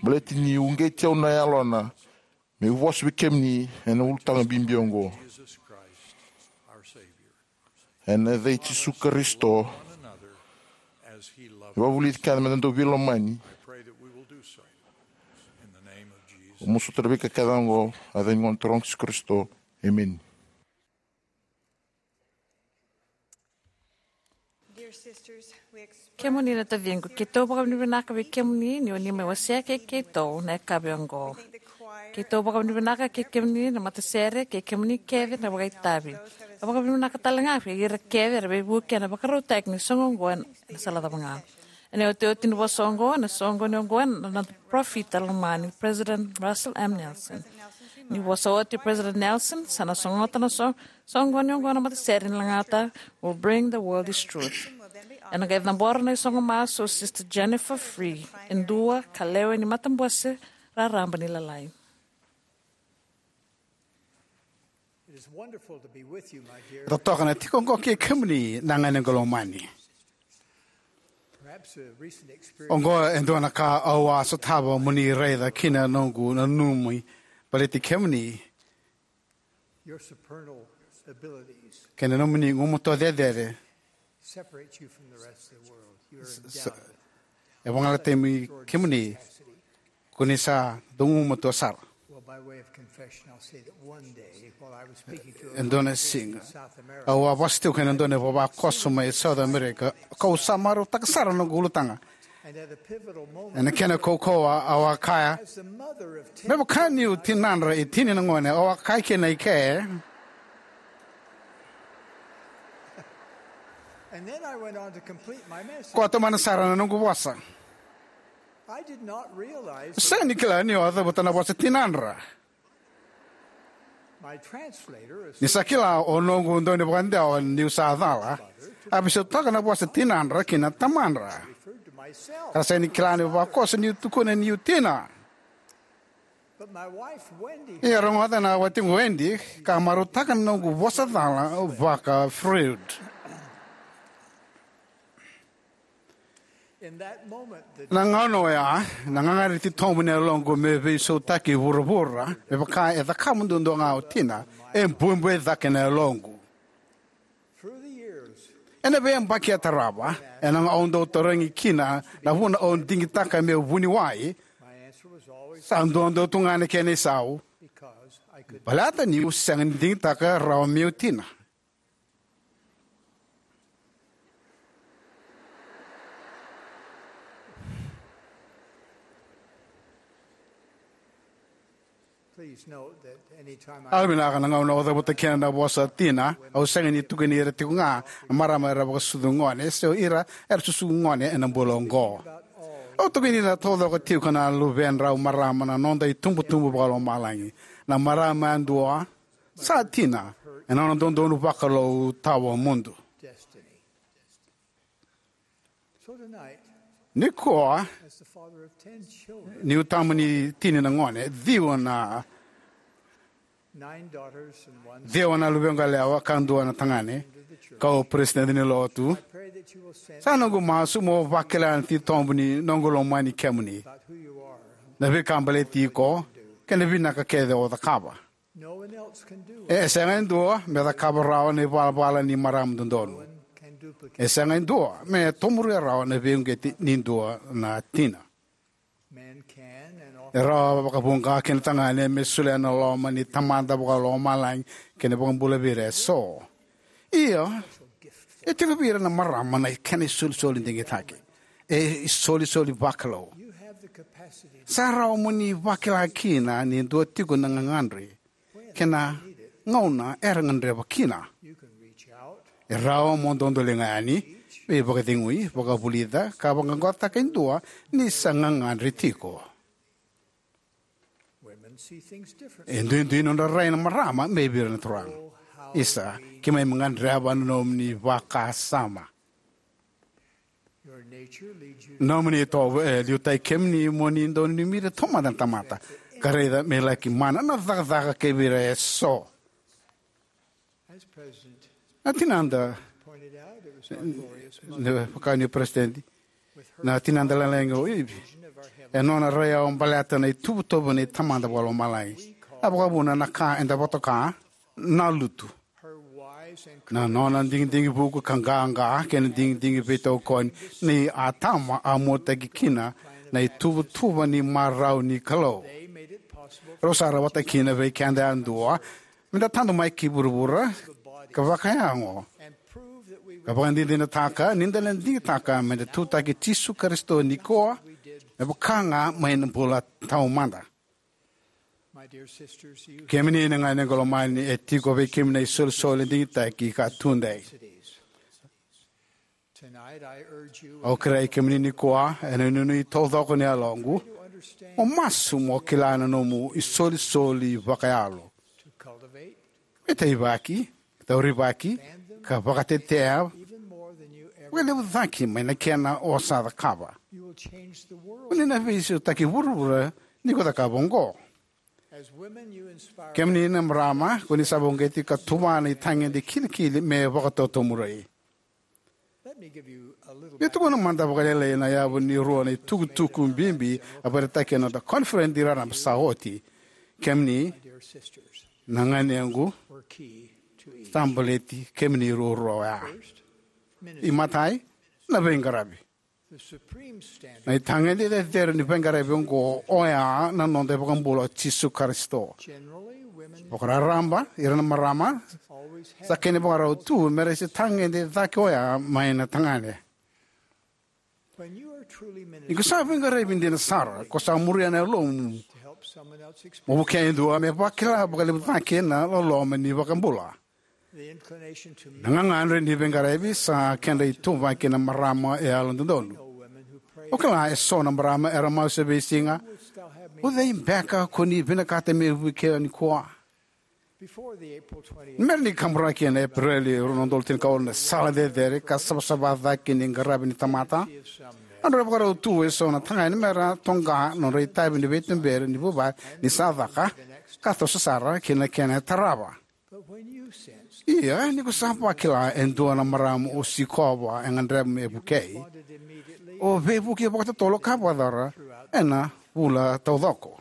Baleta ni uqeti au na Yalona meu vosa vei kemuni ena ulutaga bibi oqo. Ena yaca i Jisu Karisito, e vakavulici keda meda dau veilomani. Au masuta na veika kece oqo ena yaca ni Gone Turaga o Jisu Karisito. Emeni. Dear sisters, we ex- Kemuni na taciqu, keitou vakavinavinaka vei kemuni ni o ni mai wasea kei keitou na yakavi oqo. Keitou vakavinavinaka kei kemuni na matasere, kei kemuni kece na vakaitavi. Au vakavinavinaka tale ga vei ira kece era veivuke ena vakarautaki ni soqo oqo ena sala cava ga. Ena iotioti ni vosa oqo, na soqoni oqo ena noda parofita lomani, President Russell M. Nelson. Ni vosa oti President Nelson, sa na sogota na so-, soqoni oqo na matasere ni lagata, Will Bring the World His Truth. Ena qai cabora na isoqo masu o Sister Jennifer Free, e dua ka lewe ni matabose raraba ni Lalai. It is wonderful to be with you, my dear. Totoka na tiko oqo kei kemuni na ganequ lomani. Perhaps a recent experience. Oqo e dua na ka au a sotava mo ni raica kina na noqu nanumi baleti kemuni. Your supernal abilities. Kei na nomuni gumatua cecere. Separate you from the rest of the world. You are endowed. E vagalalataki kemuni, ko ni sa dau gumatua sara. Well, by way of confession, I'll say that one day, while I was speaking to a E dua na siga, South America, au a vosa tiko kei na dua na ivavakoso mai South America, kau sa marautaka sara na noqu ulutaga. And at a pivotal moment, ena kena kaukauwa, au a kaya, as the mother of ten, me vaka niu tinadra e tini na gone, au a kaya kina i ke. And then I went on to complete my message. Kau a tomana sara na noqu vosa. I did not realize. Sega ni kila niu a cavuta na vosa tinadra. My translator, ni sa kila o noqu daunivakadewa niu sa cala, a veisautaka na vosa tinadra ki na tamadra. Referred to myself. Ka sega ni kila na ivavakoso niu tukuna niu tina. But my wife, Wendy, ia rogoca na watiqu Wendy, ka marautaka na noqu vosa cala vaka Freud. In that moment, the Na gauna oya, na gagadre titobu ni yaloqu me veisautaki vuravura, me vaka e cakava duadua ga o tina, e buebue cake na yaloqu. Through the years, ena veiyabaki e tarava, ena gauna au dau tarogi kina na vuna au digitaka meu vuniwai, my answer was always, sa duadua tu ga na kena isau, because I could, baleta niu sega ni digitaka rawa meu tina. Please note that anytime I Yalovinaka, na gauna au cavuta kina na vosa tina, au sega ni tukuni ira tiko ga na marama era vakasucu gone, se o ira era susu gone ena bula oqo. Au tukuni ira taucoko tiko na luvedrau marama na noda itubutubu vakalomalagi. Na marama yadua sa tina ena nona dodonu vakalou tawamudu. Destiny. Nikua, as the father of ten children, niu tama ni tini na gone, ciwa na nine daughters and one ciwa na luvequ yalewa ka dua na tagane, ka o peresitedi ni lotu. Sa noqu masu mo vakila na titobu ni noqu lomani kemuni, na veika baleti iko, kei na vinaka kece o cakava. E sega e dua me cakava rawa na ivalavala ni marama dodonu. E sega e dua me tomuria rawa na veiuqeti ni dua na tina. E rawa vakavuqa kina tagane me solia na loma ni Tamada Vakalomalagi kei na iVakabula vei ira eso. Ia, e tiko vei ira na marama na kena isolisoli digitaki. E isolisoli vakalou. Sa rawa mo ni vakila kina ni dua tiko na gagadre kei na gauna era gadreva kina. E rawa mo dodoliga yani, veivakacegui, vakavulica, ka vaqaqacotaka e dua ni sa gagadre tiko. E duidui nodra rai na marama mai vei ira na turaga. Isa, keimami gadreva na nomuni vakasama. Nomuni itovo e liutaki kemuni mo ni dau nanumi ira taumada na tamata, ka raica me laki mana na cakacaka kei vei ira eso. Na tinada, na vaka ni peresitedi, na tinada lalai o Ivi, e nona rai au baleta na ituvatuva ni Tamada Vakalomalagi. A vakavuna na ka eda vakatoka na lutu. Na nona digidigi vuku ka qaqa kei na digidigi veitokoni nei Atama a muataki kina na ituvatuva ni marau ni Kalou. Rau sa rawata kina vei keda yadua meda tadu mai ki vuravura ka vakayago, ka vakadinadinataka ni da na digitaka meda tutaki Jisu Karisito nikua, me vaka ga mai na bula taumada. Kemuni na ganequ lomani, e tiko vei kemuni na isolisoli digitaki ka tudei. Au kerei kemuni nikua, ena inuinui taucoko ni yaloqu, mo masu mo kila na nomu isolisoli vakayalo. Me taivaki, taurivaki, ka vakatetea vakalevu cake mai na kena o sa cakava. Ko ni na veisautaki vuravura ni ko cakava oqo. Kemuni na marama, ko ni sa vakauqeti ka tuva na itagede kilikili me vakatotomurai. Ia tukuna mada vakalailai na yavu ni rua na itukutuku bibi a vakaraitaki ena noda koniferedi raraba sa oti. Kemuni na ganequ, sa baleti kemuni ruarua oya. Imatai, na veiqaravi. Na itagede cecere ni veiqaravi oqo oya na noda iVakabula o Jisu Karisito. Vakararaba, ira na marama sa kena ivakarau tu me ra se tagede cake oya mai na tagane. Ni ko sa veiqaravi dina sara, ko sa muria na yalomu mo vukea e dua me vakila vakalevu cake na loloma ni iVakabula. Na gagadre ni veiqaravi sa kedra ituvaki na marama e yalododonu. O kila eso na marama era masu e veisiga, o cei beka ko ni vinakata me vukea nikua? Mera ni kaburaki ena Epereli rua na udolu tinikawalu na sala cecere ka savasava cake ni qaravi ni tamata, a nodra ivakarau tu eso na tagane mera toqa nodra itavi ni veituberi ni vuvale ni sa caka, ka toso sara ki na kena e tarava. Ia, ni ko sa vakila e dua na marama o sikova e gadreva me vukei, o veivuke vakatotolo ka vakacora ena vula taucoko.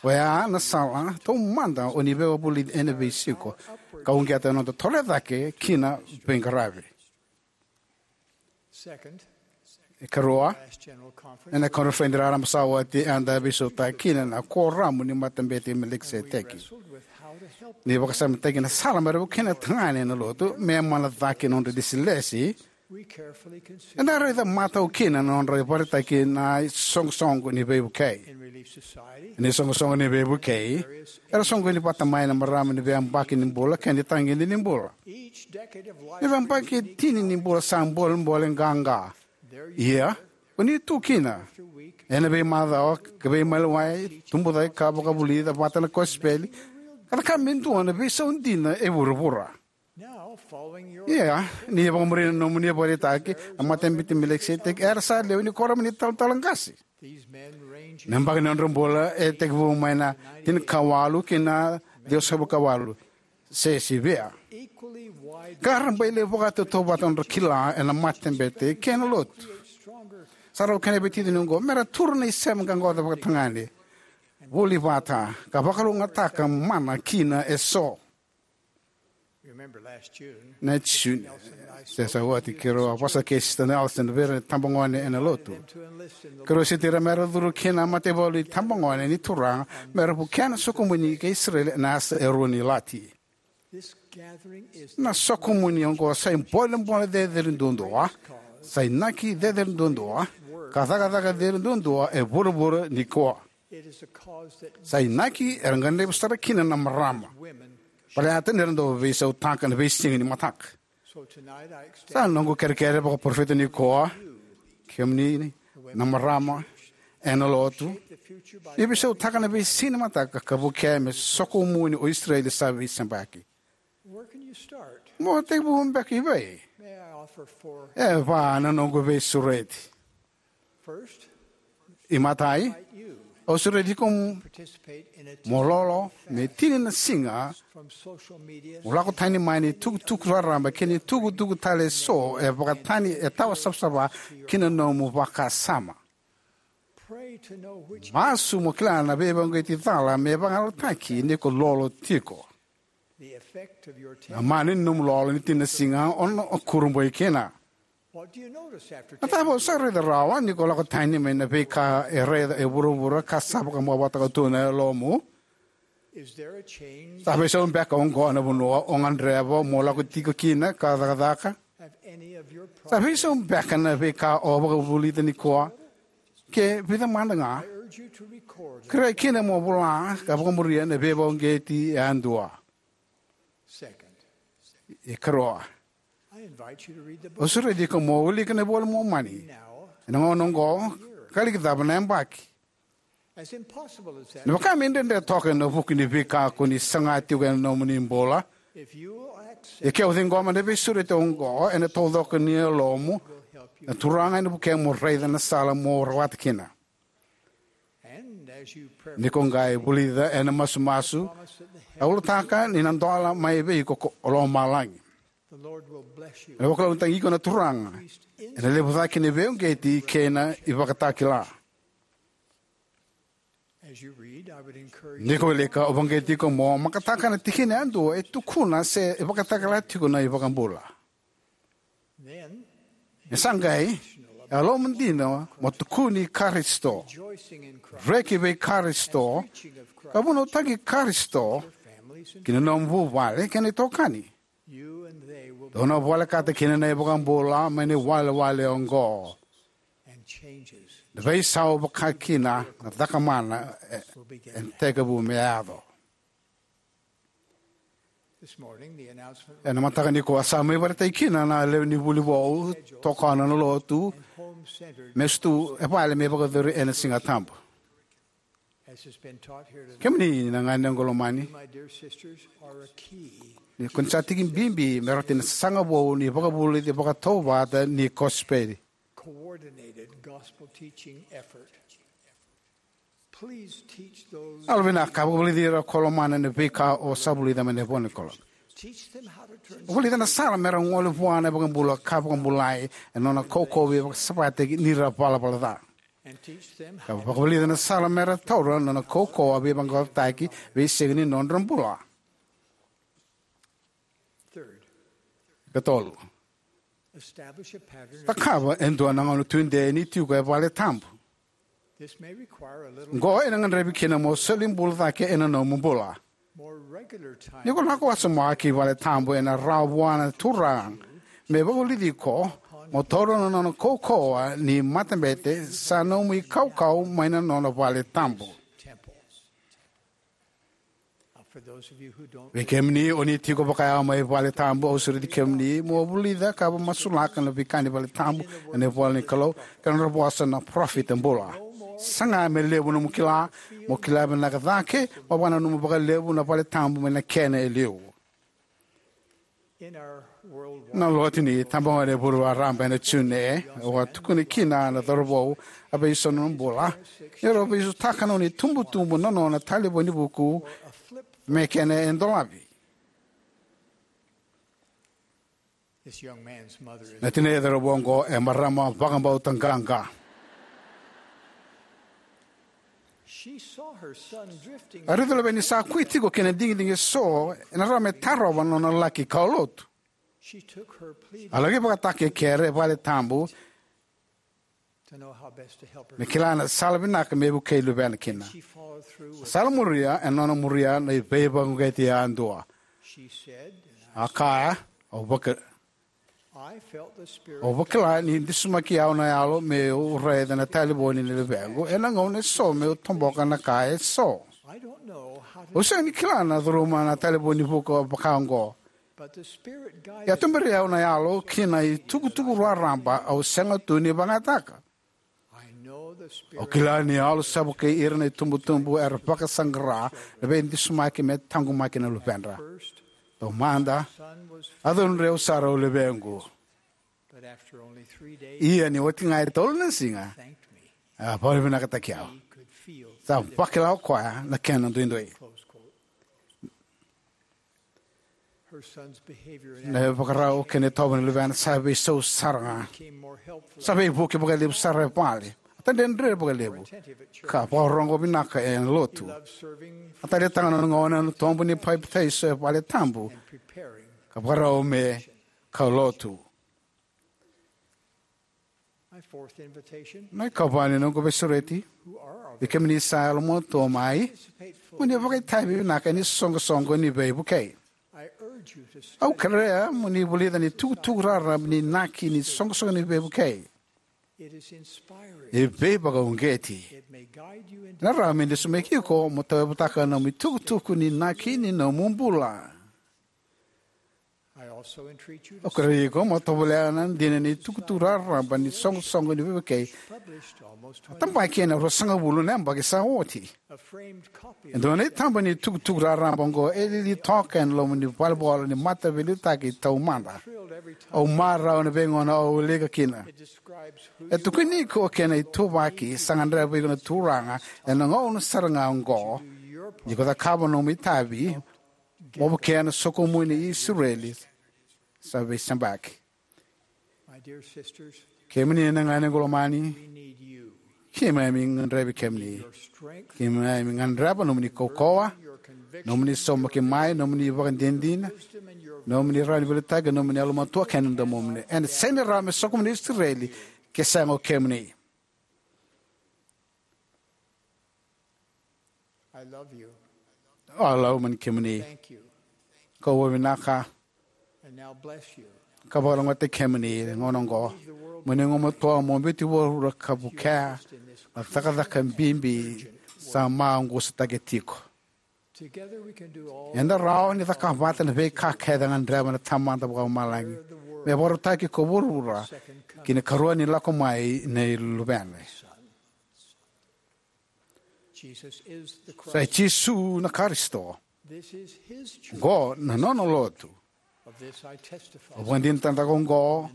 Oya na sala taumada o ni veivakavulici ena veisiko, ka uqeta na noda toro cake ki na veiqaravi. Ikarua, ena koniferedi raraba sa oti eda veisautaka kina na Kuoramu ni Matabete i Melikiseteki. Ni vakasamataki na sala mera vukei na tagane ena lotu me yamana cake na nodra ilesilesi, eda raica matau kina na nodra ivakaraitaki na isoqosoqo ni veivukei. Ni isoqosoqo ni veivukei era soqoni vata mai na marama ni veiyabaki ni bula kei na itagede ni bula. Ni veiyabaki e tini ni bula sa bolebole qaqa. Ia, ko ni tu kina ena veimacawa ka veimaliwai, tubu cake ka vakavulica vata na kosipeli, ka cakava me dua na veisau dina e vuravura. Ia, ni vakamuri na nomuni ivakaraitaki, na matabete i Melikiseteki era sa lewe ni kuoramu ni talatala qase. Na yabaki ni nodra bula e tekivu mai na tinikawalu ki na ciwasagavulu kawalu, se sivia. Ka rabailevu vakatautauvata nodra kila ena matabete kei na lotu. Sa rau kena veiticini oqo me ra tura na isema qaqaco vakatagane, vuli vata, ka vakalougatataka mana kina eso. Na June, se sa oti, keirau a vosa kei Sista Nelson vei ira na itabagone ena lotu. Keirau seti ira me ra curu ki na mataivalu ni itabagone ni Turaga me ra vukea na soqomuni kei Isireli ena yasa e rua ni lati. Na soqomuni oqo sa ibolebole cecere duadua, sa inaki cecere duadua, ka cakacaka cecere duadua e vuravura nikua. Sa inaki era gadrevi sara kina na marama, baleta ni ra dau veisautaka na veisiga ni mataka. Sa noqu kerekere vakaparofita nikua, kemuni na marama ena lotu, ni veisautaka na veisiga ni mataka ka vukea me soqomuni o Isireli sa veisebaki. Mo tekivu beka i vei? E va na noqu veisureti. Imatai, au sureti iko mo lolo me tini na siga mo lako tani mai na itukutuku raraba kei na itukutuku tale eso e vakatani, e tawa savasava ki na nomu vakasama. Masu mo kila na veivakauqeti cala me vagalalataki ni ko lolo tiko. Na mana ni nomu lolo ni tini na siga o na kurabui kina. Na cava o sa raica rawa ni ko lako tani mai na veika e raica e vuravura ka sa vakamacalataka tu na yalomu? Sa veisau beka oqo na vanua o gadreva mo lako tiko kina ka cakacaka? Sa veisau beka na veika o vakavulica nikua, ke vica mada ga? Kerea kina mo vola ka vakamuria na veivakauqeti yadua. Ikarua, au sureti iko mo wilika na iVola i Momani ena gauna oqo, ka liki cava na yabaki. Na vaka me dredre toka ena vuku ni veika ko ni saga tiko ena nomuni bula, ia ke o ciqoma na veisureti oqo ena taucoko ni yalomu, na Turaga ena vukea mo raica na sala mo rawata kina. Ni ko qai vulica ena masumasu, a ulutaka ni na dola mai vei iko ko lomalagi. Ena vakalougatataki iko na Turaga ena levu cake ni veivakauqeti kei na ivakatakila. Ni ko wilika, au vakauqeti iko mo makataka na tikina yadua e tukuna se e vakatakila tiko na iVakabula. E sa qai, e yalomu dina mo tukuni Karisito, reki vei Karisito, ka vunautaki Karisito ki na nomu vuvale kei na itokani. Dou na volekata kina na iVakabula mai na iwalewale oqo. Na veisau vakakina na cakamana e, e tekivu me yaco. Ena mataka nikua sa mai vakaraitaki kina na lewe ni vuli vou, tokona na lotu, me sucu e vale me vakayacori ena Siga Tabu. Kemuni na gone qo lomani, ni ko ni sa tiki bibi me rauti na sasaga vou ni vakavulici vakatautauvata ni kosipeli. Yalovinaka, vakavulici ira ko lomana na veika o sa vulica mai na ivola ni Kalou. Vulica na sala me ra gole vua na iVakabula ka vakabulai ena nona kaukauwa veivakasavasavataki ni ra valavala ca. Ka vakavulica na sala me ra taura na nona kaukauwa veivaqaqacotaki veisiga ni nodra bula. Ikatolu, cakava e dua na gauna tudei ni tiko e vale tabu. Oqo ena gadrevi kina mo soli bula cake ena nomu bula. Ni ko lako wasoma ki vale tabu ena rawa vua na Turaga me vakavulici iko mo taura na nona kaukauwa ni matabete sa nomu ikaukau mai na nona vale tabu. Vei kemuni o ni tiko vakayawa mai vale tabu, au sureti kemuni mo vulica ka vakamasulaka na veika ni vale tabu ena ivola ni Kalou kei na nodra vosa na parofita bula. Saga me levu nomu kila, mo kila vinaka cake mo vakananuma vakalevu na vale tabu mai na kena e liu. Na lotu ni tabagone vuli raraba ena June, au a tukuna kina na cauravou a veisau na nona bula, ni rau veisotaka na nona itubutubu na nona talevoni vuku me kena e dolavi. Na tinai cauravou oqo e marama vakabauta qaqa. A raica o luvena ni sa kui tiko kei na digidigi eso, ena rawa me tarova na nona laki kaulotu. A laki vakataka e kere e vale tabu me kila na sala vinaka me vukei luvena kina. Sala muria, e nona muria na veivakauqeti yadua. A kaya, au vaka- Au vakila ni disumaki au na yalo meu raica na talevoni ni luvequ ena gauna eso meu toboka na ka eso. Au sega ni kila na curuma na talevoni vuku vaka oqo. Ia tuberi au na yalo ki na itukutuku raraba au sega tu ni vagataka. Au kila ni yalo sa vukei ira na itubutubu era vakasaqara na veidisumaki me taqomaki na luvedra. Taumada, a cudrudreu sara o luvequ. Ia ni oti ga e tolu na siga, a vakavinavinakataki au. Sa vakila o koya na kena duidui. Na ivakarau kei na itovo ni luvena sa veisau sara ga. Sa veivuke vakalevu sara e vale. A dredre vakalevu ka vakarorogo vinaka ena lotu. A taleitaka na nona gauna ena tobu ni papitaiso e vale tabu ka vakarau me kaulotu. Na ikava ni noqu veisureti, vei kemuni sa yalomatua mai, mo ni vakaitavi vinaka ena isoqosoqo ni veivukei. Au kerea mo ni vulica na itukutuku raraba ni inaki ni isoqosoqo ni veivukei. E veivakauqeti. Ena rawa me dusimaki iko mo tauyavutaka na nomu itukutuku ni inaki ni nomu bula. Au kerea iko mo tovolea na dina ni itukutuku raraba ni isoqosoqo ni veivukei. A tabaki ena ruasagavulu na yabaki sa oti. E dua na itaba ni itukutuku raraba oqo e lili toka ena loma ni valenivolavola ni Mataveiliutaki Taumada. Au marau ena veigauna au wilika kina. E tukuni iko kei na ituvaki sa gadreva iko na Turaga ena gauna sara ga oqo. Ni ko cakava nomu itavi, mo vukea na sokomuni i Isireli sa veisabaki. Kemuni na ganequ lomani, keimami gadrevi kemuni. Keimami gadreva nomuni kaukauwa, nomuni saumaki mai, nomuni ivakadinadina, nomuni rawa ni veiliutaki, nomuni yalomatua kei na domomuni. Ena sega ni rawa me sokomuni Isireli ke sega o kemuni. Au lomani kemuni. Kau vakavinaka. Ka vakalougatataki kemuni ena gauna oqo. Mo ni gumatua mo biuti vuravura ka vukea na cakacaka bibi sa maqusa tiko. Eda rawa ni cakava vata na veika kece e gadreva na Tamada Vakalomalagi me vakarautaki ko vuravura ki na ikarua ni lako mai nei Luvena. Sa i Jisu na Karisito. Oqo na nona lotu. Au vakadinata tiko oqo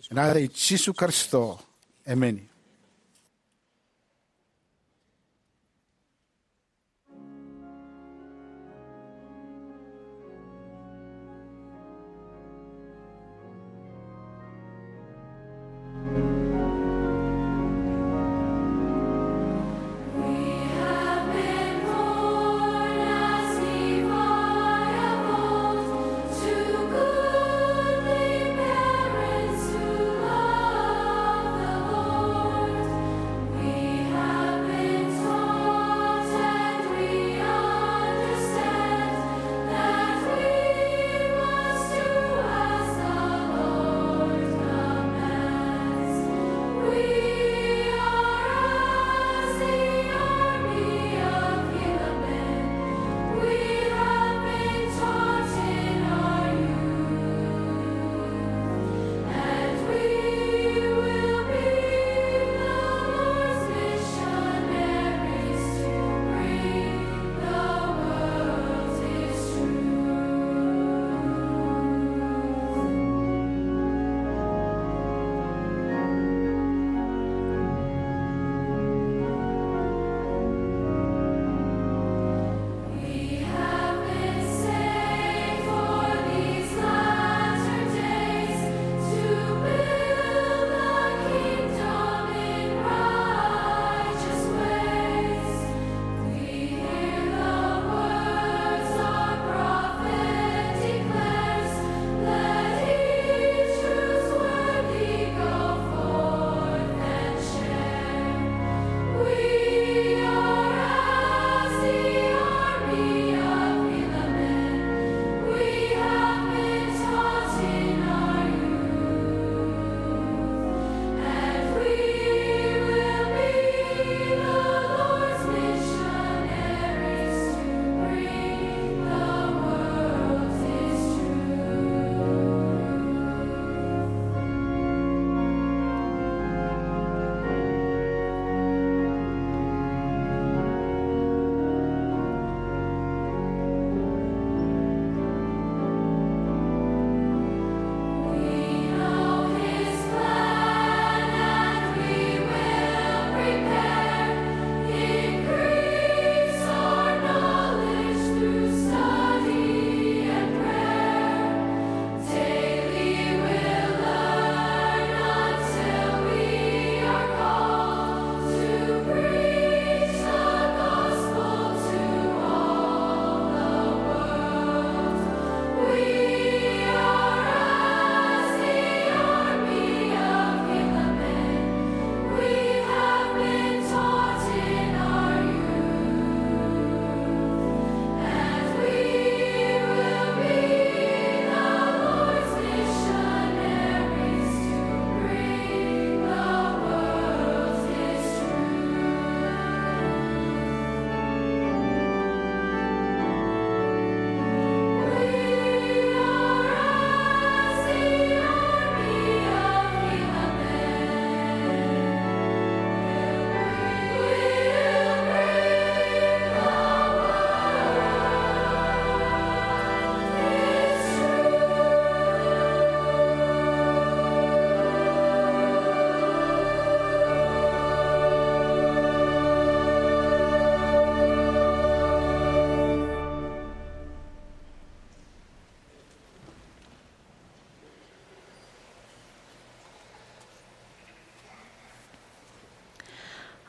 ena yaca i Jisu Karisito. Emeni.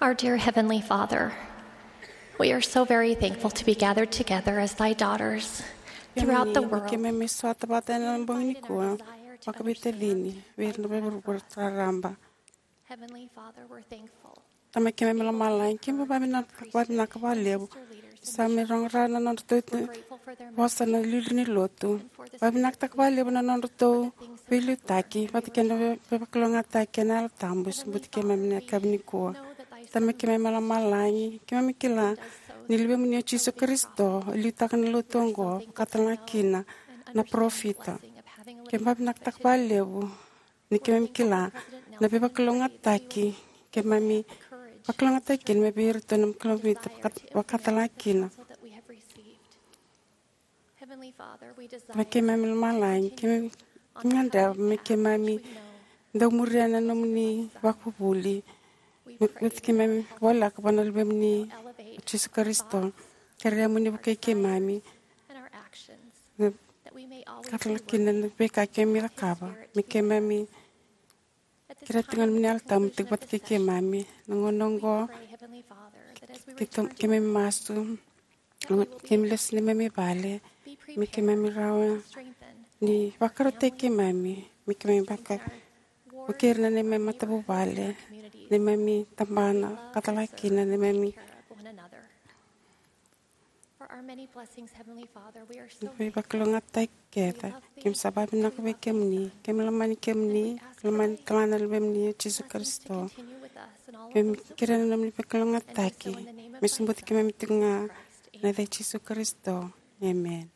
Our dear Heavenly Father, we are so very thankful to be gathered together as thy daughters throughout the world. Keimami sota vata ena bogi nikua vakaveitacini vei ira na veivuravura raraba. Heavenly Father, we're thankful. Tamai keimami lomalagi, keimami vakavinavinaka vakalevu. Sa mai rogoca na nodratou vosa na iliuliu ni lotu. Vakavinavinakataka vakalevu na nodratou veiliutaki vata kei na veivakalougatataki ena Yalo Tabu e sobuti keimami ena yakavi nikua. Tamai keimami lomalagi, keimami kila ni luvemuni o Jisu Karisito e liutaka na lotu oqo, vakatalega kina na parofita. Keimami vakavinavinakataka vakalevu ni keimami kila na veivakalougatataki keimami vakalougatataki kina mai vei iratou na parofita, vakatalega kina. Tamai keimami lomalagi, keimami gadreva me keimami dau muria na nomuni vakavuvuli. Me keimami voleka vua na luvemuni o Jisu Karisito, kerea mo ni vukei keimami, vakatalega kina na veika keimami cakava. Me keimami kerea tiko na nomuni Yalo Tabu me tiko vata kei keimami. Na gauna oqo, keitou, keimami masu, keimami lesu neimami vale, me keimami rawa ni vakarautaki keimami, me keimami vaka, vukei ira na neimami matavuvale, neimami tabana, vakatalega kina neimami veivakalougatataki kece. Keimami sa vakavinavinaka vei kemuni, keimami lomani kemuni, lomani talega na luvemuni o Jisu Karisito. Keimami kerea na nomuni veivakalougatataki me sobuti keimami tiko ga, ena yaca i Jisu Karisito. Emeni.